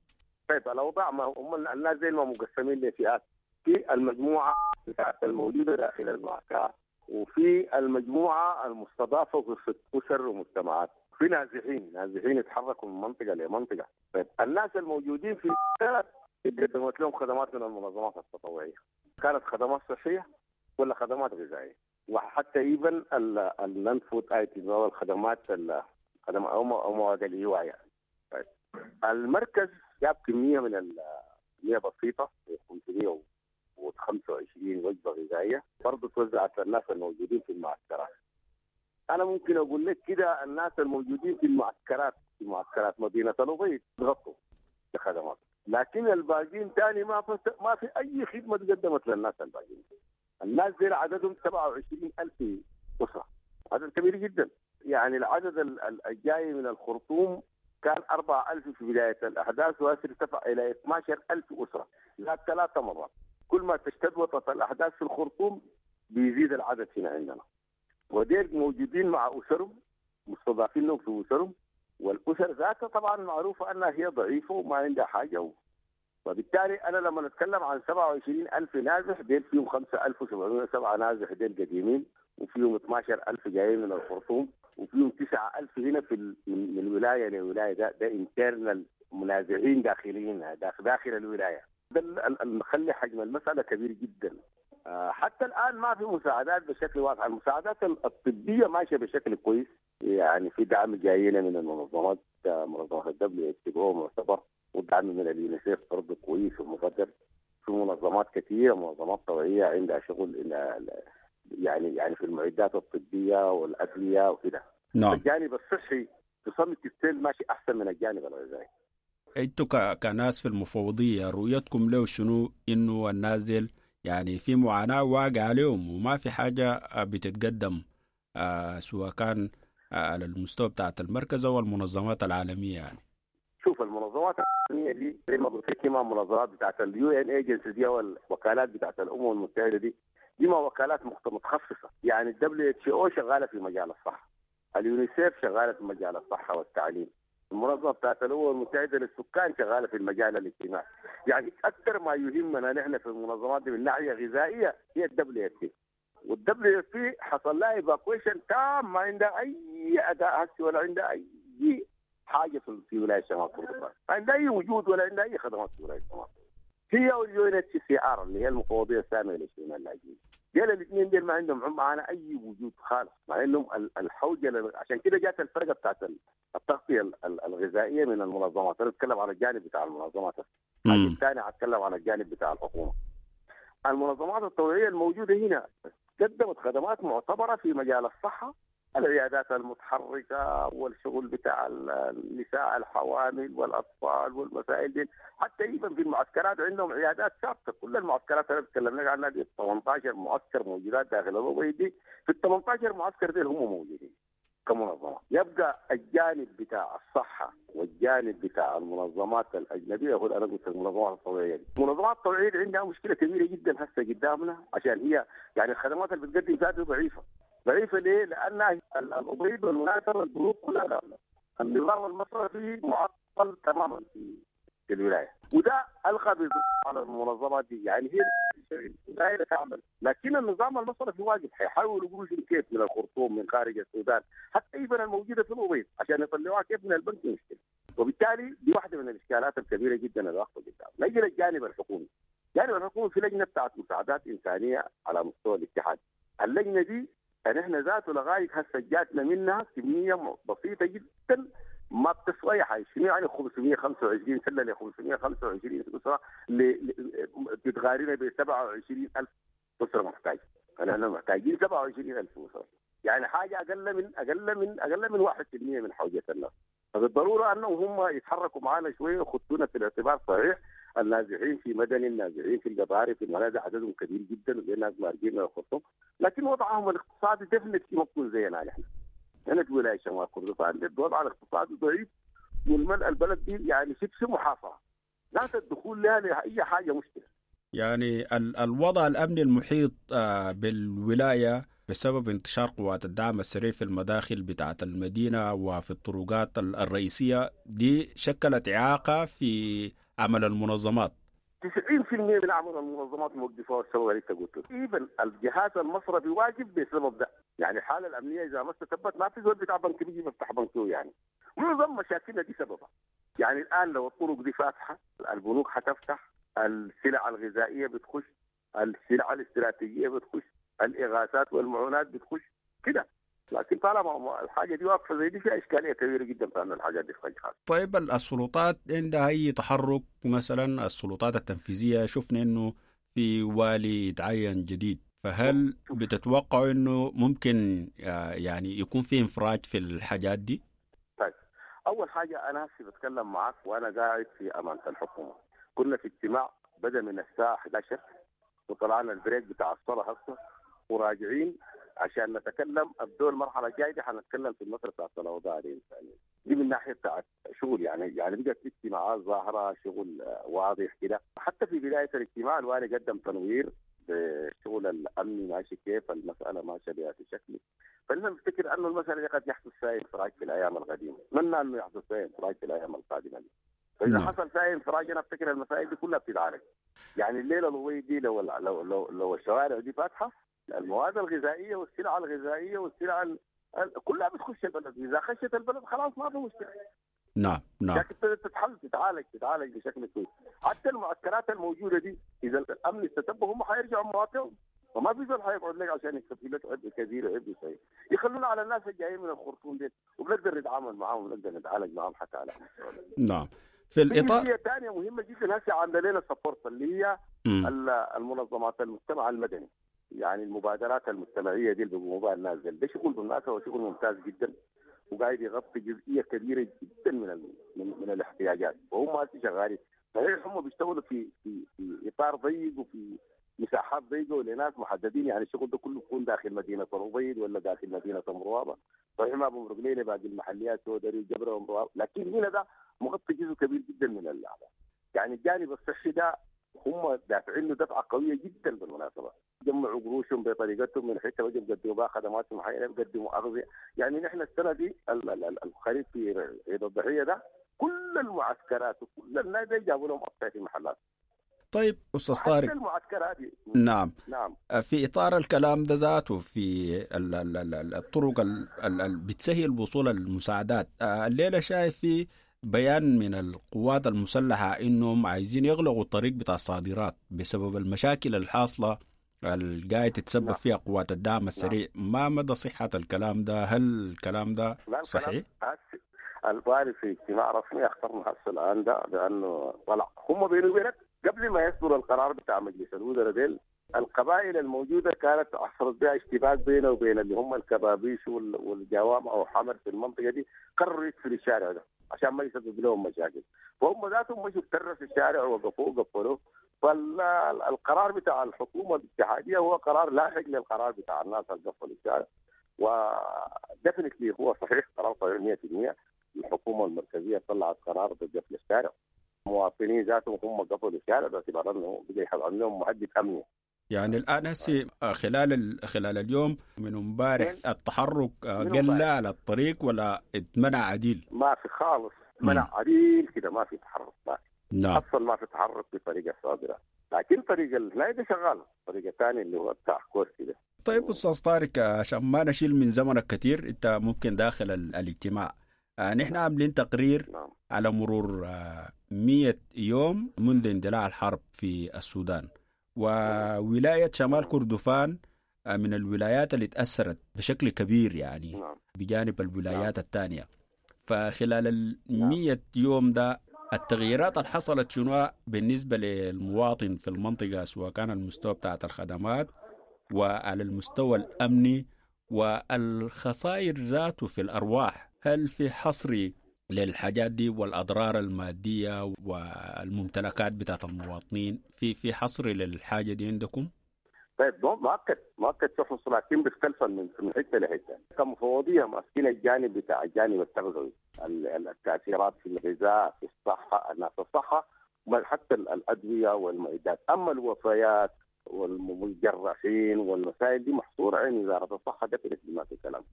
طيب الأوضاع ما هم الناس زي ما مقسمين لفئات، في المجموعة الموجودة داخل المعسكرات، وفي المجموعة المستضافة في أسر ومجتمعات، في نازحين نازحين يتحركوا من منطقة لمنطقة. طيب الناس الموجودين في المعسكرات قدمت لهم خدمات من المنظمات التطوعية، كانت خدمات صحية ولا خدمات غذائية، وحتى even ال non-food items أو الخدمات الخدمات أو مواد الإيواء يعني. طيب المركز جاب كمية من الكمية بسيطة خمسمية وخمسة وعشرين وجبة غذائية برضه توزعت للناس الموجودين في المعسكرات. أنا ممكن أقول لك كده الناس الموجودين في المعسكرات في معسكرات مدينة الأبيض غطوا بخدمات، لكن الباقيين تاني ما فت... ما في أي خدمة تقدمت للناس الباقيين. الناس دي عددهم سبعة وعشرين ألف أسرة، عدد كبير جدا. يعني العدد الجاي من الخرطوم كان أربعة ألف في بداية الأحداث، وارتفع إلى اثنا عشر ألف أسرة، زاد ثلاثة مرات. كل ما تشتد وطأة الأحداث في الخرطوم بيزيد العدد هنا عندنا، وديل موجودين مع أسرهم، مستضافين لهم في أسرهم، والأسر ذاتها طبعا معروفة أنها هي ضعيفة وما عندها حاجة و... وبالتالي أنا لما نتكلم عن سبعة وعشرين ألف نازح، ديل فيهم خمسة ألف وسبعمائة وسبعة نازح ديل قديمين، وفيهم اثنا عشر ألف جايين من الخرطوم، وفيهم تسعة ألف هنا في ال... من, من ولاية لولاية. ده ده internal منازعين داخليين داخل, داخل الولاية. ده اللي مخلي حجم المسألة كبير جدا. حتى الآن ما في مساعدات بشكل واضح. المساعدات الطبية ماشية بشكل كويس، يعني في دعم جاينا من المنظمات، منظمات الدبليو اتش او معتبر، ودعم من اليونيسيف برضه كويس ومقدر. في منظمات كثيرة، منظمات طوعية عندها شغل يعني يعني في المعدات الطبية والأدوية وكده. نعم. الجانب الصحي تصمت السيل ماشي أحسن من الجانب الغذائي. انتوا كناس في المفوضية رؤيتكم له شنو؟ انه النازل يعني في معاناة واقع عليهم وما في حاجة بتتقدم، آه سواء كان على المستوى بتاعت المركز أو المنظمات العالمية. يعني شوف المنظمات العالمية دي زي ما قلت لك، ما منظمات بتاعت ال UN agency دي او الوكالات بتاعت الأمم المتحدة دي، دي ما وكالات متخصصة. يعني الدبليو اتش او شغالة في مجال الصحة، اليونيسيف شغالة في مجال الصحة والتعليم، المنظمة بتاعت الأمم المتحدة للسكان شغالة في المجال الاجتماعي. يعني أكثر ما يهمنا نحن في المنظمات دي من ناحية غذائية هي الدبليو اف بي، والدبليو اف بي حصل لها evacuation تام، ما عندها أي أداء هسي ولا عندها أي حاجة في ولاية شمال كردفان، ما عندها أي وجود ولا عندها أي خدمات في ولاية شمال. هي وال UNHCR اللي هي المفوضية السامية لشؤون اللاجئين، ديل الاثنين ديل ما عندهم معانا اي وجود خالص، مع انهم الحوجه. عشان كده جات الفرقة بتاعت التغطية الغذائية من المنظمات. انا اتكلم على الجانب بتاع المنظمات، الثاني اتكلم على الجانب بتاع الحكومة. المنظمات الطوعيه الموجودة هنا قدمت خدمات معتبره في مجال الصحة، العيادات المتحركة والشغل بتاع النساء الحوامل والاطفال والمسائل دي. حتى ايضا في المعسكرات عندهم عيادات ثابتة. كل المعسكرات اللي تكلمنا عنها دي ثمانية عشر معسكر موجودات داخل الأبيض دي، في ال ثمانية عشر معسكر دي هم موجودين كمنظمه. يبقى الجانب بتاع الصحة والجانب بتاع المنظمات الاجنبية، هو انا قلت المنظمات الطوعيه دي. المنظمات الطوعيه دي عندها مشكلة كبيرة جدا هسه قدامنا، عشان هي يعني الخدمات اللي بتقدم ذاتها ضعيفة. ضعيفة ليه؟ لأن الأبيض والمناسبة البنوك كلها النظام المصرفي معطل تماما في الولاية، وده ألقى على المنظمات دي. يعني هي الولاية تعمل، لكن النظام المصرفي واجب، حيحاولوا يقولوا كيف من الخرطوم، من خارج السودان، حتى إيفن الموجودة في الأبيض عشان يطلعوها كيف من البنك مشكلة. وبالتالي دي واحدة من الإشكالات الكبيرة جدا اللي واقفة قدام. نجي للجانب الحكومي. الجانب الحكومي في لجنة بتاعت مساعدات إنسانية على مستوى الاتحاد. اللجنة دي نحن ذاته لغاية هسه جاتنا منها كمية بسيطة جدا ما بتسوى اي حاجة. شنو يعني خمسمية وخمسة وعشرين سله ل خمسمية وخمسة وعشرين اسره بتغارينا ب سبعة وعشرين ألف اسره محتاجه؟ نحن محتاجين سبعة وعشرين ألف اسره، يعني حاجة اقل من اقل من اقل من واحد بالمية من حوجه الناس. فبالضروره انهم هم يتحركوا معنا شوية ويخطونا في الاعتبار صحيح النازحين في مدني، النازحين في القضارف، في المنازل عددهم كبير جدا وزي الناس مارقين من الخرطوم، لكن وضعهم الاقتصادي definitely ما بيكون زينا نحن. هنا في ولاية شمال كردفان الوضع الاقتصادي ضعيف، والملء البلد دي يعني شبه محاصرة، لا الدخول لها لاي حاجة مشكلة. يعني الوضع الامني المحيط بالولايه بسبب انتشار قوات الدعم السريع في المداخل بتاعة المدينة وفي الطرقات الرئيسية دي شكلت إعاقة في عمل المنظمات. تسعين بالمئة من عمل المنظمات موقفة والسبب اللي انت قلته. even الجهاز المصرفي واجب بسبب ده، يعني الحالة الأمنية إذا ما استتبت ما في زول بتاع بنك بيجي بيفتح بنكه، يعني معظم مشاكلنا دي سببها. يعني الآن لو الطرق دي فاتحة البنوك حتفتح، السلع الغذائية بتخش، السلع الاستراتيجية بتخش، الإغاثات والمعونات بتخش كده. لكن طالما الحاجة دي واقفة زي دي فيها إشكالية كبيرة جدا في أن الحاجات دي تخش. طيب السلطات عندها أي تحرك؟ مثلا السلطات التنفيذية شفنا إنه في والي يتعين جديد، فهل بتتوقعوا إنه ممكن يعني يكون في انفراج في الحاجات دي؟ طيب أول حاجة أنا هسي بتكلم معك وأنا قاعد في أمانة الحكومة. كنا في اجتماع بدأ من الساعة إحدى عشر وطلعنا ال break بتاع الصلاة هسه وراجعين عشان نتكلم. ابدو المرحلة الجاية دي حنتكلم في المسالة بتاعت الاوضاع الانسانية دي من ناحية بتاعت شغل، يعني يعني بقت اجتماعات ظاهره، شغل واضح كده. حتى في بداية الاجتماع الوالي قدم تنوير بالشغل الامني ماشي كيف، المسالة ماشية بهذا الشكل. فلنا نفتكر انه المسالة دي قد يحدث فيها انفراج في الايام القديمة، اتمنى انه يحدث فيها انفراج في الايام القادمة دي. فاذا نعم. حصل فيها انفراج انا افتكر المسائل دي كلها بتتعالج. يعني الليلة الوي دي لو لو لو, لو الشوارع دي فاتحة المواد الغذائية والسلع الغذائية والسلع ال... كلها بتخش البلد، اذا خشت البلد خلاص ما في مشكلة. نعم نعم. لكن تتحل تتعالج تتعالج بشكل كويس. حتى المعسكرات الموجودة دي اذا الامن استتب هم حيرجعوا مواطنهم، وما في زول حيقعد لك عشان يكفي لك عبء كبير وعبء صغير. يخلونا على الناس الجايين من الخرطوم دي وبنقدر نتعامل معاهم ونقدر نتعالج معاهم حتى على مستوى. نعم. في الاطار في ثانية مهمة جدا هسه عامله لنا support اللي هي المنظمات المجتمع المدني، يعني المبادرات المجتمعية دي اللي بيقوموا بها الناس دي، ده شغل بالمناسبة وشغل ممتاز جدا وقاعد يغطي جزئية كبيرة جدا من ال... من, من الاحتياجات، وهم هسه شغالين. صحيح هم بيشتغلوا في في في اطار ضيق وفي مساحات ضيقه ولناس محددين، يعني الشغل ده كله بيكون داخل مدينة الأبيض ولا داخل مدينة مروابه، صحيح ما بمرق لنا باقي المحليات سودري وجبره ومروابه، لكن هنا ده مغطي جزء كبير جدا من اللعبة. يعني الجانب الصحي ده هم دافعين له دفعه قوية جدا بالمناسبة، جمعوا قروشهم بطريقتهم من حتة وجب قدموا بها خدمات معينة، بيقدموا اغذيه. يعني نحن السنة دي الخريف في عيد الضحية ده كل المعسكرات وكل الناس جابوا لهم اطفال في المحلات. طيب أستاذ طارق، المعسكرات دي. نعم نعم في إطار الكلام ده ذاته في ال ال ال الطرق اللي بتسهل وصول المساعدات، الليلة شايف في بيان من القوات المسلحة إنهم عايزين يغلقوا الطريق بتاع الصادرات بسبب المشاكل الحاصلة اللي قاعد تتسبب نعم. فيها قوات الدعم السريع. نعم. ما مدى صحة الكلام ده؟ هل الكلام ده صحيح؟ الوالي في اجتماع رسمي اخطرنا هسه الآن ده بأنه طلع هم بيني وبينك قبل ما يصدر القرار بتاع مجلس الوزراء ديل، القبائل الموجودة كانت حصلت بها اشتباك بينه وبين اللي هم الكبابيش والجوامع وحمر في المنطقة دي، قرروا يقفلوا الشارع ده عشان ما يسبب لهم مشاكل، فهم ذاتهم مشوا ترسوا الشارع ووقفوه وقفلوه. فالقرار بتاع الحكومة الاتحادية هو قرار لاحق للقرار بتاع الناس اللي قفلوا الشارع، وديفنتلي هو صحيح قرار صحيح مئة بالمئة. الحكومة المركزية طلعت قرار بقفل الشارع، المواطنين ذاتهم هم قفلوا الشارع باعتبار انه بقى يحصل لهم مهدد امني. يعني الان هسي خلال خلال اليوم من امبارح التحرك قل على الطريق ولا اتمنع عديل؟ ما في خالص، منع عديل كده، ما في تحرك، ما في. نعم اصلا ما في تحرك بطريقة صادرة، لكن طريق الهلاي ده شغال، الطريق الثاني اللي هو بتاع كورسي ده. طيب استاذ طارق، عشان ما نشيل من زمنك كثير، انت ممكن داخل الاجتماع، نحن عاملين تقرير نعم. على مرور مئة يوم منذ اندلاع الحرب في السودان، وولاية شمال كردفان من الولايات اللي تأثرت بشكل كبير يعني نعم. بجانب الولايات نعم. الثانية. فخلال المية يوم ده التغييرات اللي حصلت شنو بالنسبة للمواطن في المنطقة، سواء كان المستوى بتاعت الخدمات وعلى المستوى الأمني والخسائر ذاته في الأرواح، هل في حصر للحاجات دي والأضرار المادية والممتلكات بتاعت المواطنين؟ في في حصر للحاجة دي عندكم؟ طيب مؤكد مؤكد في حصر، لكن بيختلف من من حتة لحته. كمفوضيه ماسكين الجانب بتاع الجانب التغذوي، التاثيرات في الغذاء، في الصحة، الناس الصحة، حتى الادوية والمعدات. اما الوفيات والمجرحين والمسائل دي محصورة عند وزارة الصحة، ده ما في كلام.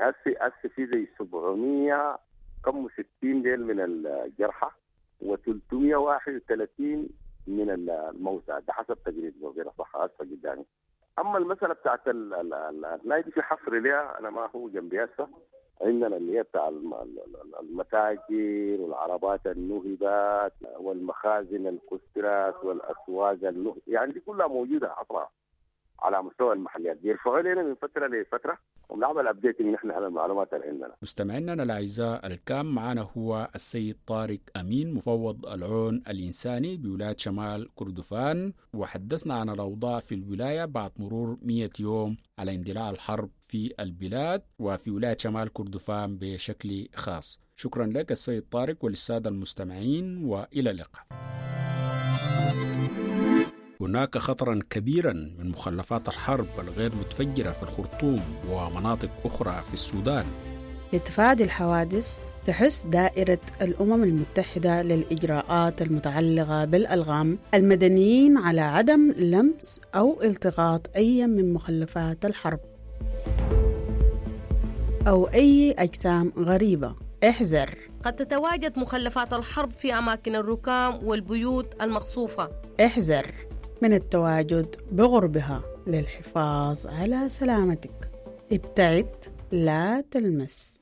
هسه هسه في زي سبعمية كم ستين ديل من الجرحى وثلاثمية وواحد وثلاثين من الموتى، ده حسب تقرير وزير الصحة هسه قدامي. اما المسالة بتاعت الناي دي في حصر لها، انا ما هو جنبي هسه. عندنا اللي هي بتاع المتاجر والعربات النهبات والمخازن الكسرات والاسواق النهب، يعني دي كلها موجودة حصرها على مستوى المحليات، بيرفعوا لنا من فترة لفترة وبنعمل updating نحن على المعلومات اللي عندنا. مستمعينا الاعزاء، الكام معنا هو السيد طارق امين، مفوض العون الانساني بولاية شمال كردفان، وحدثنا عن الاوضاع في الولاية بعد مرور مئة يوم على اندلاع الحرب في البلاد وفي ولاية شمال كردفان بشكل خاص. شكرا لك السيد طارق وللساده المستمعين، والى اللقاء. هناك خطرا كبيرا من مخلفات الحرب الغير متفجرة في الخرطوم ومناطق أخرى في السودان. لتفادي الحوادث تحث دائرة الأمم المتحدة للإجراءات المتعلقة بالألغام المدنيين على عدم لمس أو التقاط أي من مخلفات الحرب أو أي أجسام غريبة. احذر، قد تتواجد مخلفات الحرب في أماكن الركام والبيوت المقصوفة. احذر من التواجد بغربها للحفاظ على سلامتك. ابتعد، لا تلمس.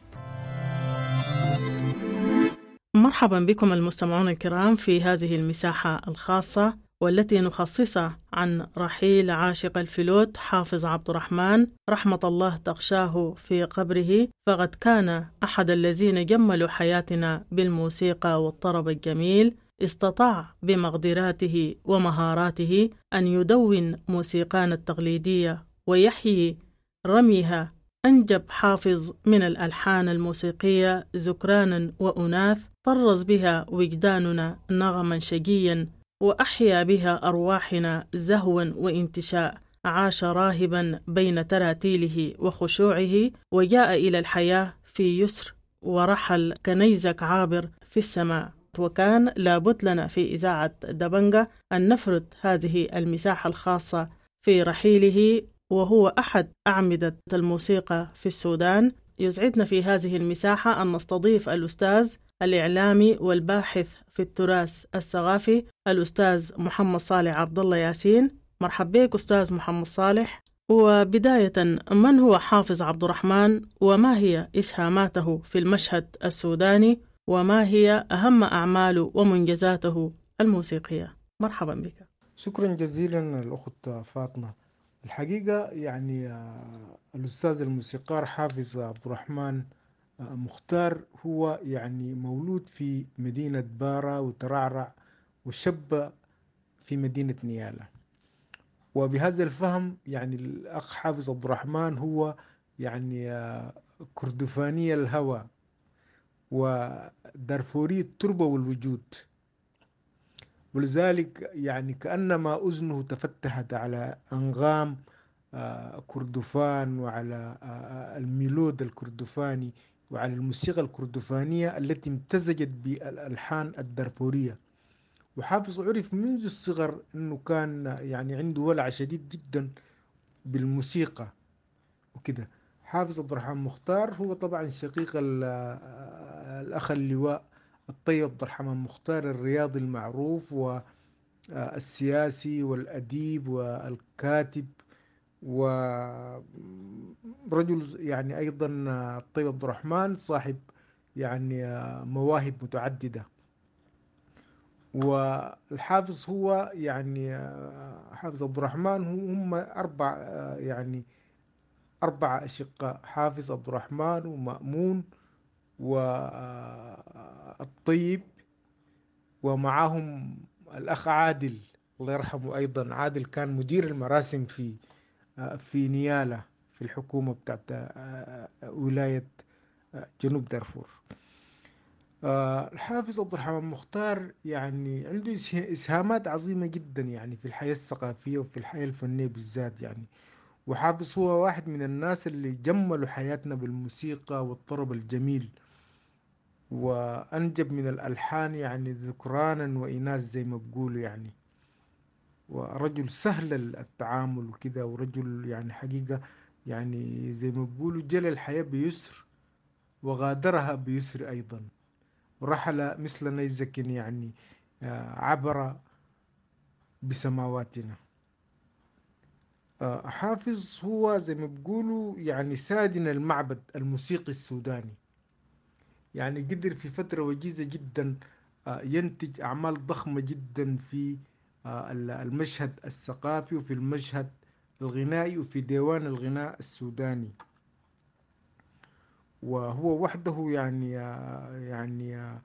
مرحبا بكم المستمعون الكرام في هذه المساحة الخاصة والتي نخصصها عن رحيل عاشق الفلوت حافظ عبد الرحمن، رحمة الله تغشاه في قبره، فقد كان أحد الذين جملوا حياتنا بالموسيقى والطرب الجميل. استطاع بمقدراته ومهاراته أن يدون موسيقانا التقليدية ويحيي رميها. أنجب حافظ من الألحان الموسيقية ذكرانا وأناث طرز بها وجداننا نغما شجيا، وأحيا بها أرواحنا زهوا وانتشاء. عاش راهبا بين تراتيله وخشوعه، وجاء إلى الحياة في يسر، ورحل كنيزك عابر في السماء. وكان لابد لنا في إذاعة دبنجة أن نفرد هذه المساحة الخاصة في رحيله، وهو أحد أعمدة الموسيقى في السودان. يسعدنا في هذه المساحة أن نستضيف الأستاذ الإعلامي والباحث في التراث الثقافي الأستاذ محمد صالح عبد الله ياسين. مرحبا بك أستاذ محمد صالح. وبداية، من هو حافظ عبد الرحمن، وما هي إسهاماته في المشهد السوداني، وما هي أهم أعماله ومنجزاته الموسيقية؟ مرحبا بك. شكرا جزيلا الأخت فاطمة. الحقيقة يعني الأستاذ الموسيقار حافظ عبد الرحمن مختار هو يعني مولود في مدينة بارا وترعرع، وشب في مدينة نيالا، وبهذا الفهم يعني الأخ حافظ عبد الرحمن هو يعني كردفاني الهوى ودارفوري التربة والوجود، ولذلك يعني كأنما أذنه تفتحت على أنغام كردفان وعلى الميلود الكردفاني وعلى الموسيقى الكردفانية التي امتزجت بالألحان الدارفورية. وحافظ عرف منذ الصغر أنه كان يعني عنده ولع شديد جدا بالموسيقى وكده. حافظ عبد الرحمن مختار هو طبعا شقيق الأخ اللواء الطيب عبد الرحمن مختار الرياضي المعروف والسياسي والأديب والكاتب ورجل يعني أيضا الطيب عبد الرحمن صاحب يعني مواهب متعددة. والحافظ هو يعني حافظ عبد الرحمن هم أربع يعني أربعة أشقاء، حافظ عبد الرحمن ومأمون والطيب ومعهم الأخ عادل الله يرحمه أيضا. عادل كان مدير المراسم في في نيالا في الحكومة بتاعت ولاية جنوب دارفور. الحافظ عبد الرحمن مختار يعني عنده إسهامات عظيمة جدا يعني في الحياة الثقافية وفي الحياة الفنية بالذات يعني. وحافظ هو واحد من الناس اللي جملوا حياتنا بالموسيقى والطرب الجميل، وأنجب من الألحان يعني ذكرانا وإناث زي ما بقولوا يعني. ورجل سهل التعامل وكده، ورجل يعني حقيقة يعني زي ما بقولوا جل الحياة بيسر وغادرها بيسر أيضا، ورحل مثل نيزك يعني عبر بسماواتنا. حافظ هو زي ما بقولوا يعني سادن المعبد الموسيقي السوداني، يعني قدر في فترة وجيزة جدا ينتج أعمال ضخمة جدا في المشهد الثقافي وفي المشهد الغنائي وفي ديوان الغناء السوداني. وهو وحده يعني يعني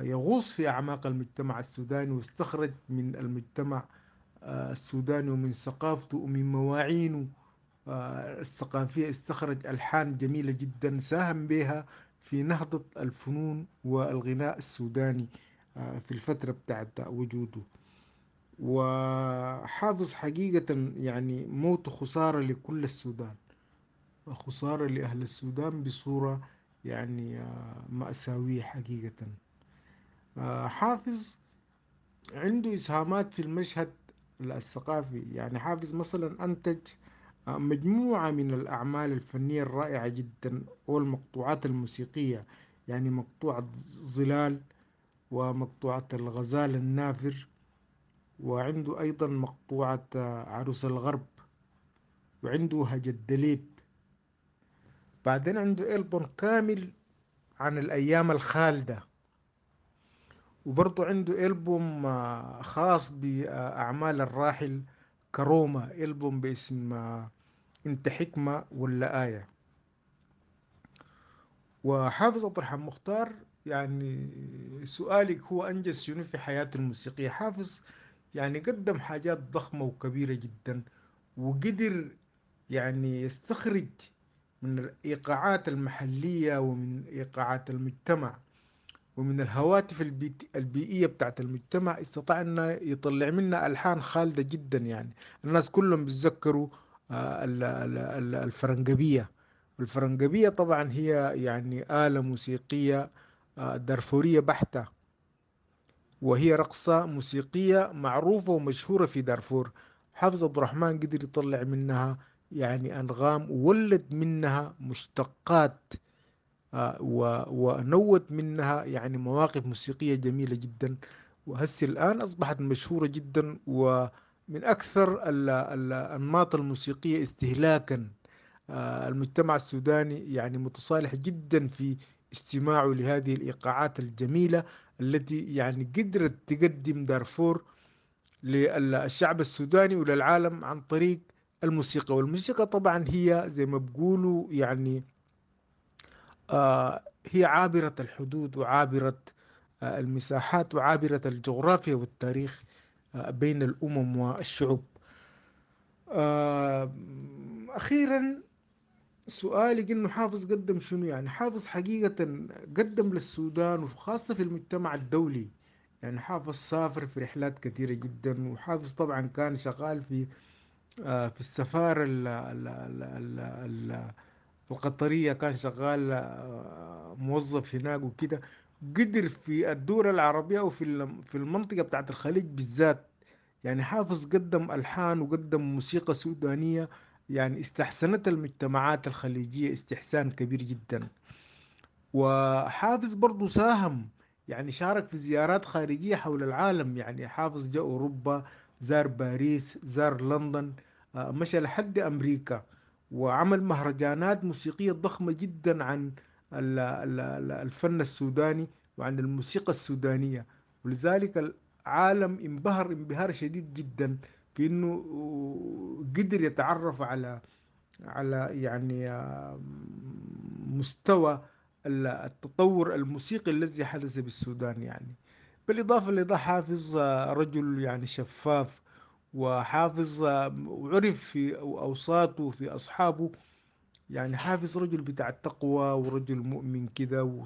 يغوص في أعماق المجتمع السوداني، واستخرج من المجتمع السوداني ومن ثقافته ومن مواعينه الثقافية استخرج ألحان جميلة جدا ساهم بها في نهضة الفنون والغناء السوداني في الفترة بتاعت وجوده. وحافظ حقيقة يعني موت خسارة لكل السودان، وخسارة لأهل السودان بصورة يعني مأساوية حقيقة. حافظ عنده إسهامات في المشهد الثقافي، يعني حافظ مثلا أنتج مجموعة من الأعمال الفنية الرائعة جدا والمقطوعات الموسيقية، يعني مقطوعة ظلال ومقطوعة الغزال النافر، وعنده أيضا مقطوعة عروس الغرب، وعنده هج الدليب. بعدين عنده ألبوم كامل عن الأيام الخالدة، وبرضه عنده ألبوم خاص بأعمال الراحل كرومة، ألبوم باسم انت حكمة ولا آية. وحافظ عبد الرحمن مختار يعني سؤالك هو أنجز شنو في حياته الموسيقية؟ حافظ يعني قدم حاجات ضخمة وكبيرة جدا، وقدر يعني يستخرج من الإيقاعات المحلية ومن إيقاعات المجتمع ومن الهواتف البيئية بتاعت المجتمع، استطاع أنه يطلع منها ألحان خالدة جدا. يعني الناس كلهم بيتذكروا الفرنجبية. الفرنجبية طبعا هي يعني آلة موسيقية دارفورية بحتة، وهي رقصة موسيقية معروفة ومشهورة في دارفور. حافظ عبد الرحمن قدر يطلع منها يعني أنغام، وولد منها مشتقات، ونوت منها يعني مواقف موسيقية جميلة جدا، وهسه الآن أصبحت مشهورة جدا ومن أكثر الأنماط الموسيقية استهلاكا. المجتمع السوداني يعني متصالح جدا في استماعه لهذه الإيقاعات الجميلة التي يعني قدرت تقدم دارفور للشعب السوداني وللعالم عن طريق الموسيقى. والموسيقى طبعا هي زي ما بقولوا يعني آه هي عابرة الحدود وعابرة آه المساحات وعابرة الجغرافيا والتاريخ آه بين الأمم والشعوب. آه أخيرا سؤالي إنه حافظ قدم شنو؟ يعني حافظ حقيقة قدم للسودان وخاصة في المجتمع الدولي. يعني حافظ سافر في رحلات كثيرة جدا، وحافظ طبعا كان شغال في آه في السفارة ال ال ال ال ال القطرية، كان شغال موظف هناك وكده. قدر في الدول العربية وفي في المنطقة بتاعت الخليج بالذات، يعني حافظ قدم ألحان وقدم موسيقى سودانية يعني استحسنت المجتمعات الخليجية استحسان كبير جدا. وحافظ برضو ساهم يعني شارك في زيارات خارجية حول العالم، يعني حافظ جاء أوروبا، زار باريس، زار لندن، مشى لحد أمريكا، وعمل مهرجانات موسيقية ضخمة جدا عن الفن السوداني وعن الموسيقى السودانية. ولذلك العالم انبهر انبهار شديد جدا في انه قدر يتعرف على على يعني مستوى التطور الموسيقي الذي حدث بالسودان. يعني بالإضافة لده حافظ رجل يعني شفاف، وحافظ وعرف في أوساطه وفي أصحابه يعني حافظ رجل بتاع التقوى ورجل مؤمن كده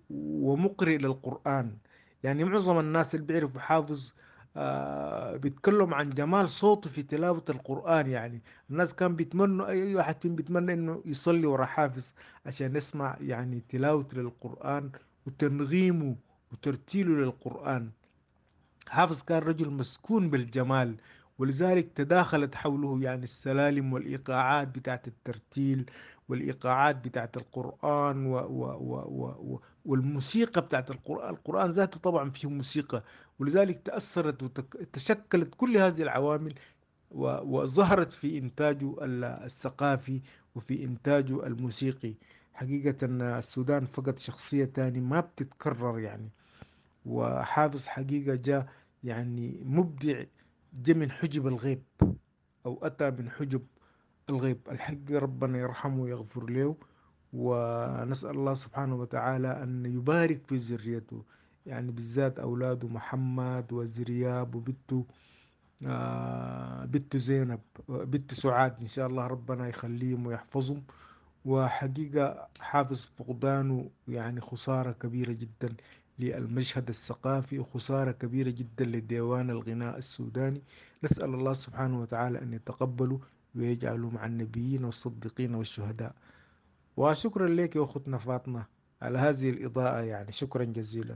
ومقرئ للقرآن. يعني معظم الناس اللي بيعرفوا حافظ آه بيتكلم عن جمال صوته في تلاوة القرآن. يعني الناس كان بيتمنوا، أي واحد فيهم بيتمنى إنه يصلي ورا حافظ عشان يسمع يعني تلاوته للقرآن وتنغيمه وترتيله للقرآن. حافظ كان رجل مسكون بالجمال، ولذلك تداخلت حوله يعني السلالم والإيقاعات بتاعت الترتيل والإيقاعات بتاعت القرآن و و و و والموسيقى بتاعت القرآن. القرآن ذاته طبعا فيه موسيقى، ولذلك تأثرت وتشكلت كل هذه العوامل وظهرت في إنتاجه الثقافي وفي إنتاجه الموسيقي. حقيقة السودان فقد شخصية تاني ما بتتكرر يعني، وحافظ حقيقة جاء يعني مبدع، جاء من حجب الغيب أو أتى من حجب الغيب. الحق ربنا يرحمه ويغفر له، ونسأل الله سبحانه وتعالى أن يبارك في ذريته، يعني بالذات أولاده محمد وزرياب وبنته آه بنته زينب، بنته سعاد، إن شاء الله ربنا يخليهم ويحفظهم. وحقيقة حافظ فقدانه يعني خسارة كبيرة جدا للمشهد الثقافي، وخسارة كبيرة جدا لديوان الغناء السوداني. نسأل الله سبحانه وتعالى أن يتقبله ويجعله مع النبيين والصديقين والشهداء. وشكرا لك يا أختنا فاطمة على هذه الإضاءة، يعني شكرا جزيلا.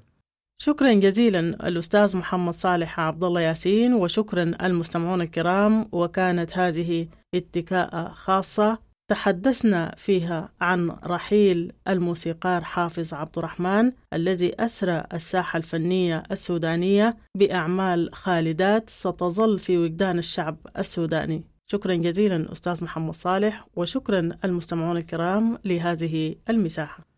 شكرا جزيلا الأستاذ محمد صالح عبد الله ياسين، وشكرا المستمعون الكرام. وكانت هذه اتكاءة خاصة تحدثنا فيها عن رحيل الموسيقار حافظ عبد الرحمن الذي أثرى الساحة الفنية السودانية بأعمال خالدات ستظل في وجدان الشعب السوداني. شكرا جزيلا أستاذ محمد صالح، وشكرا المستمعون الكرام لهذه المساحة.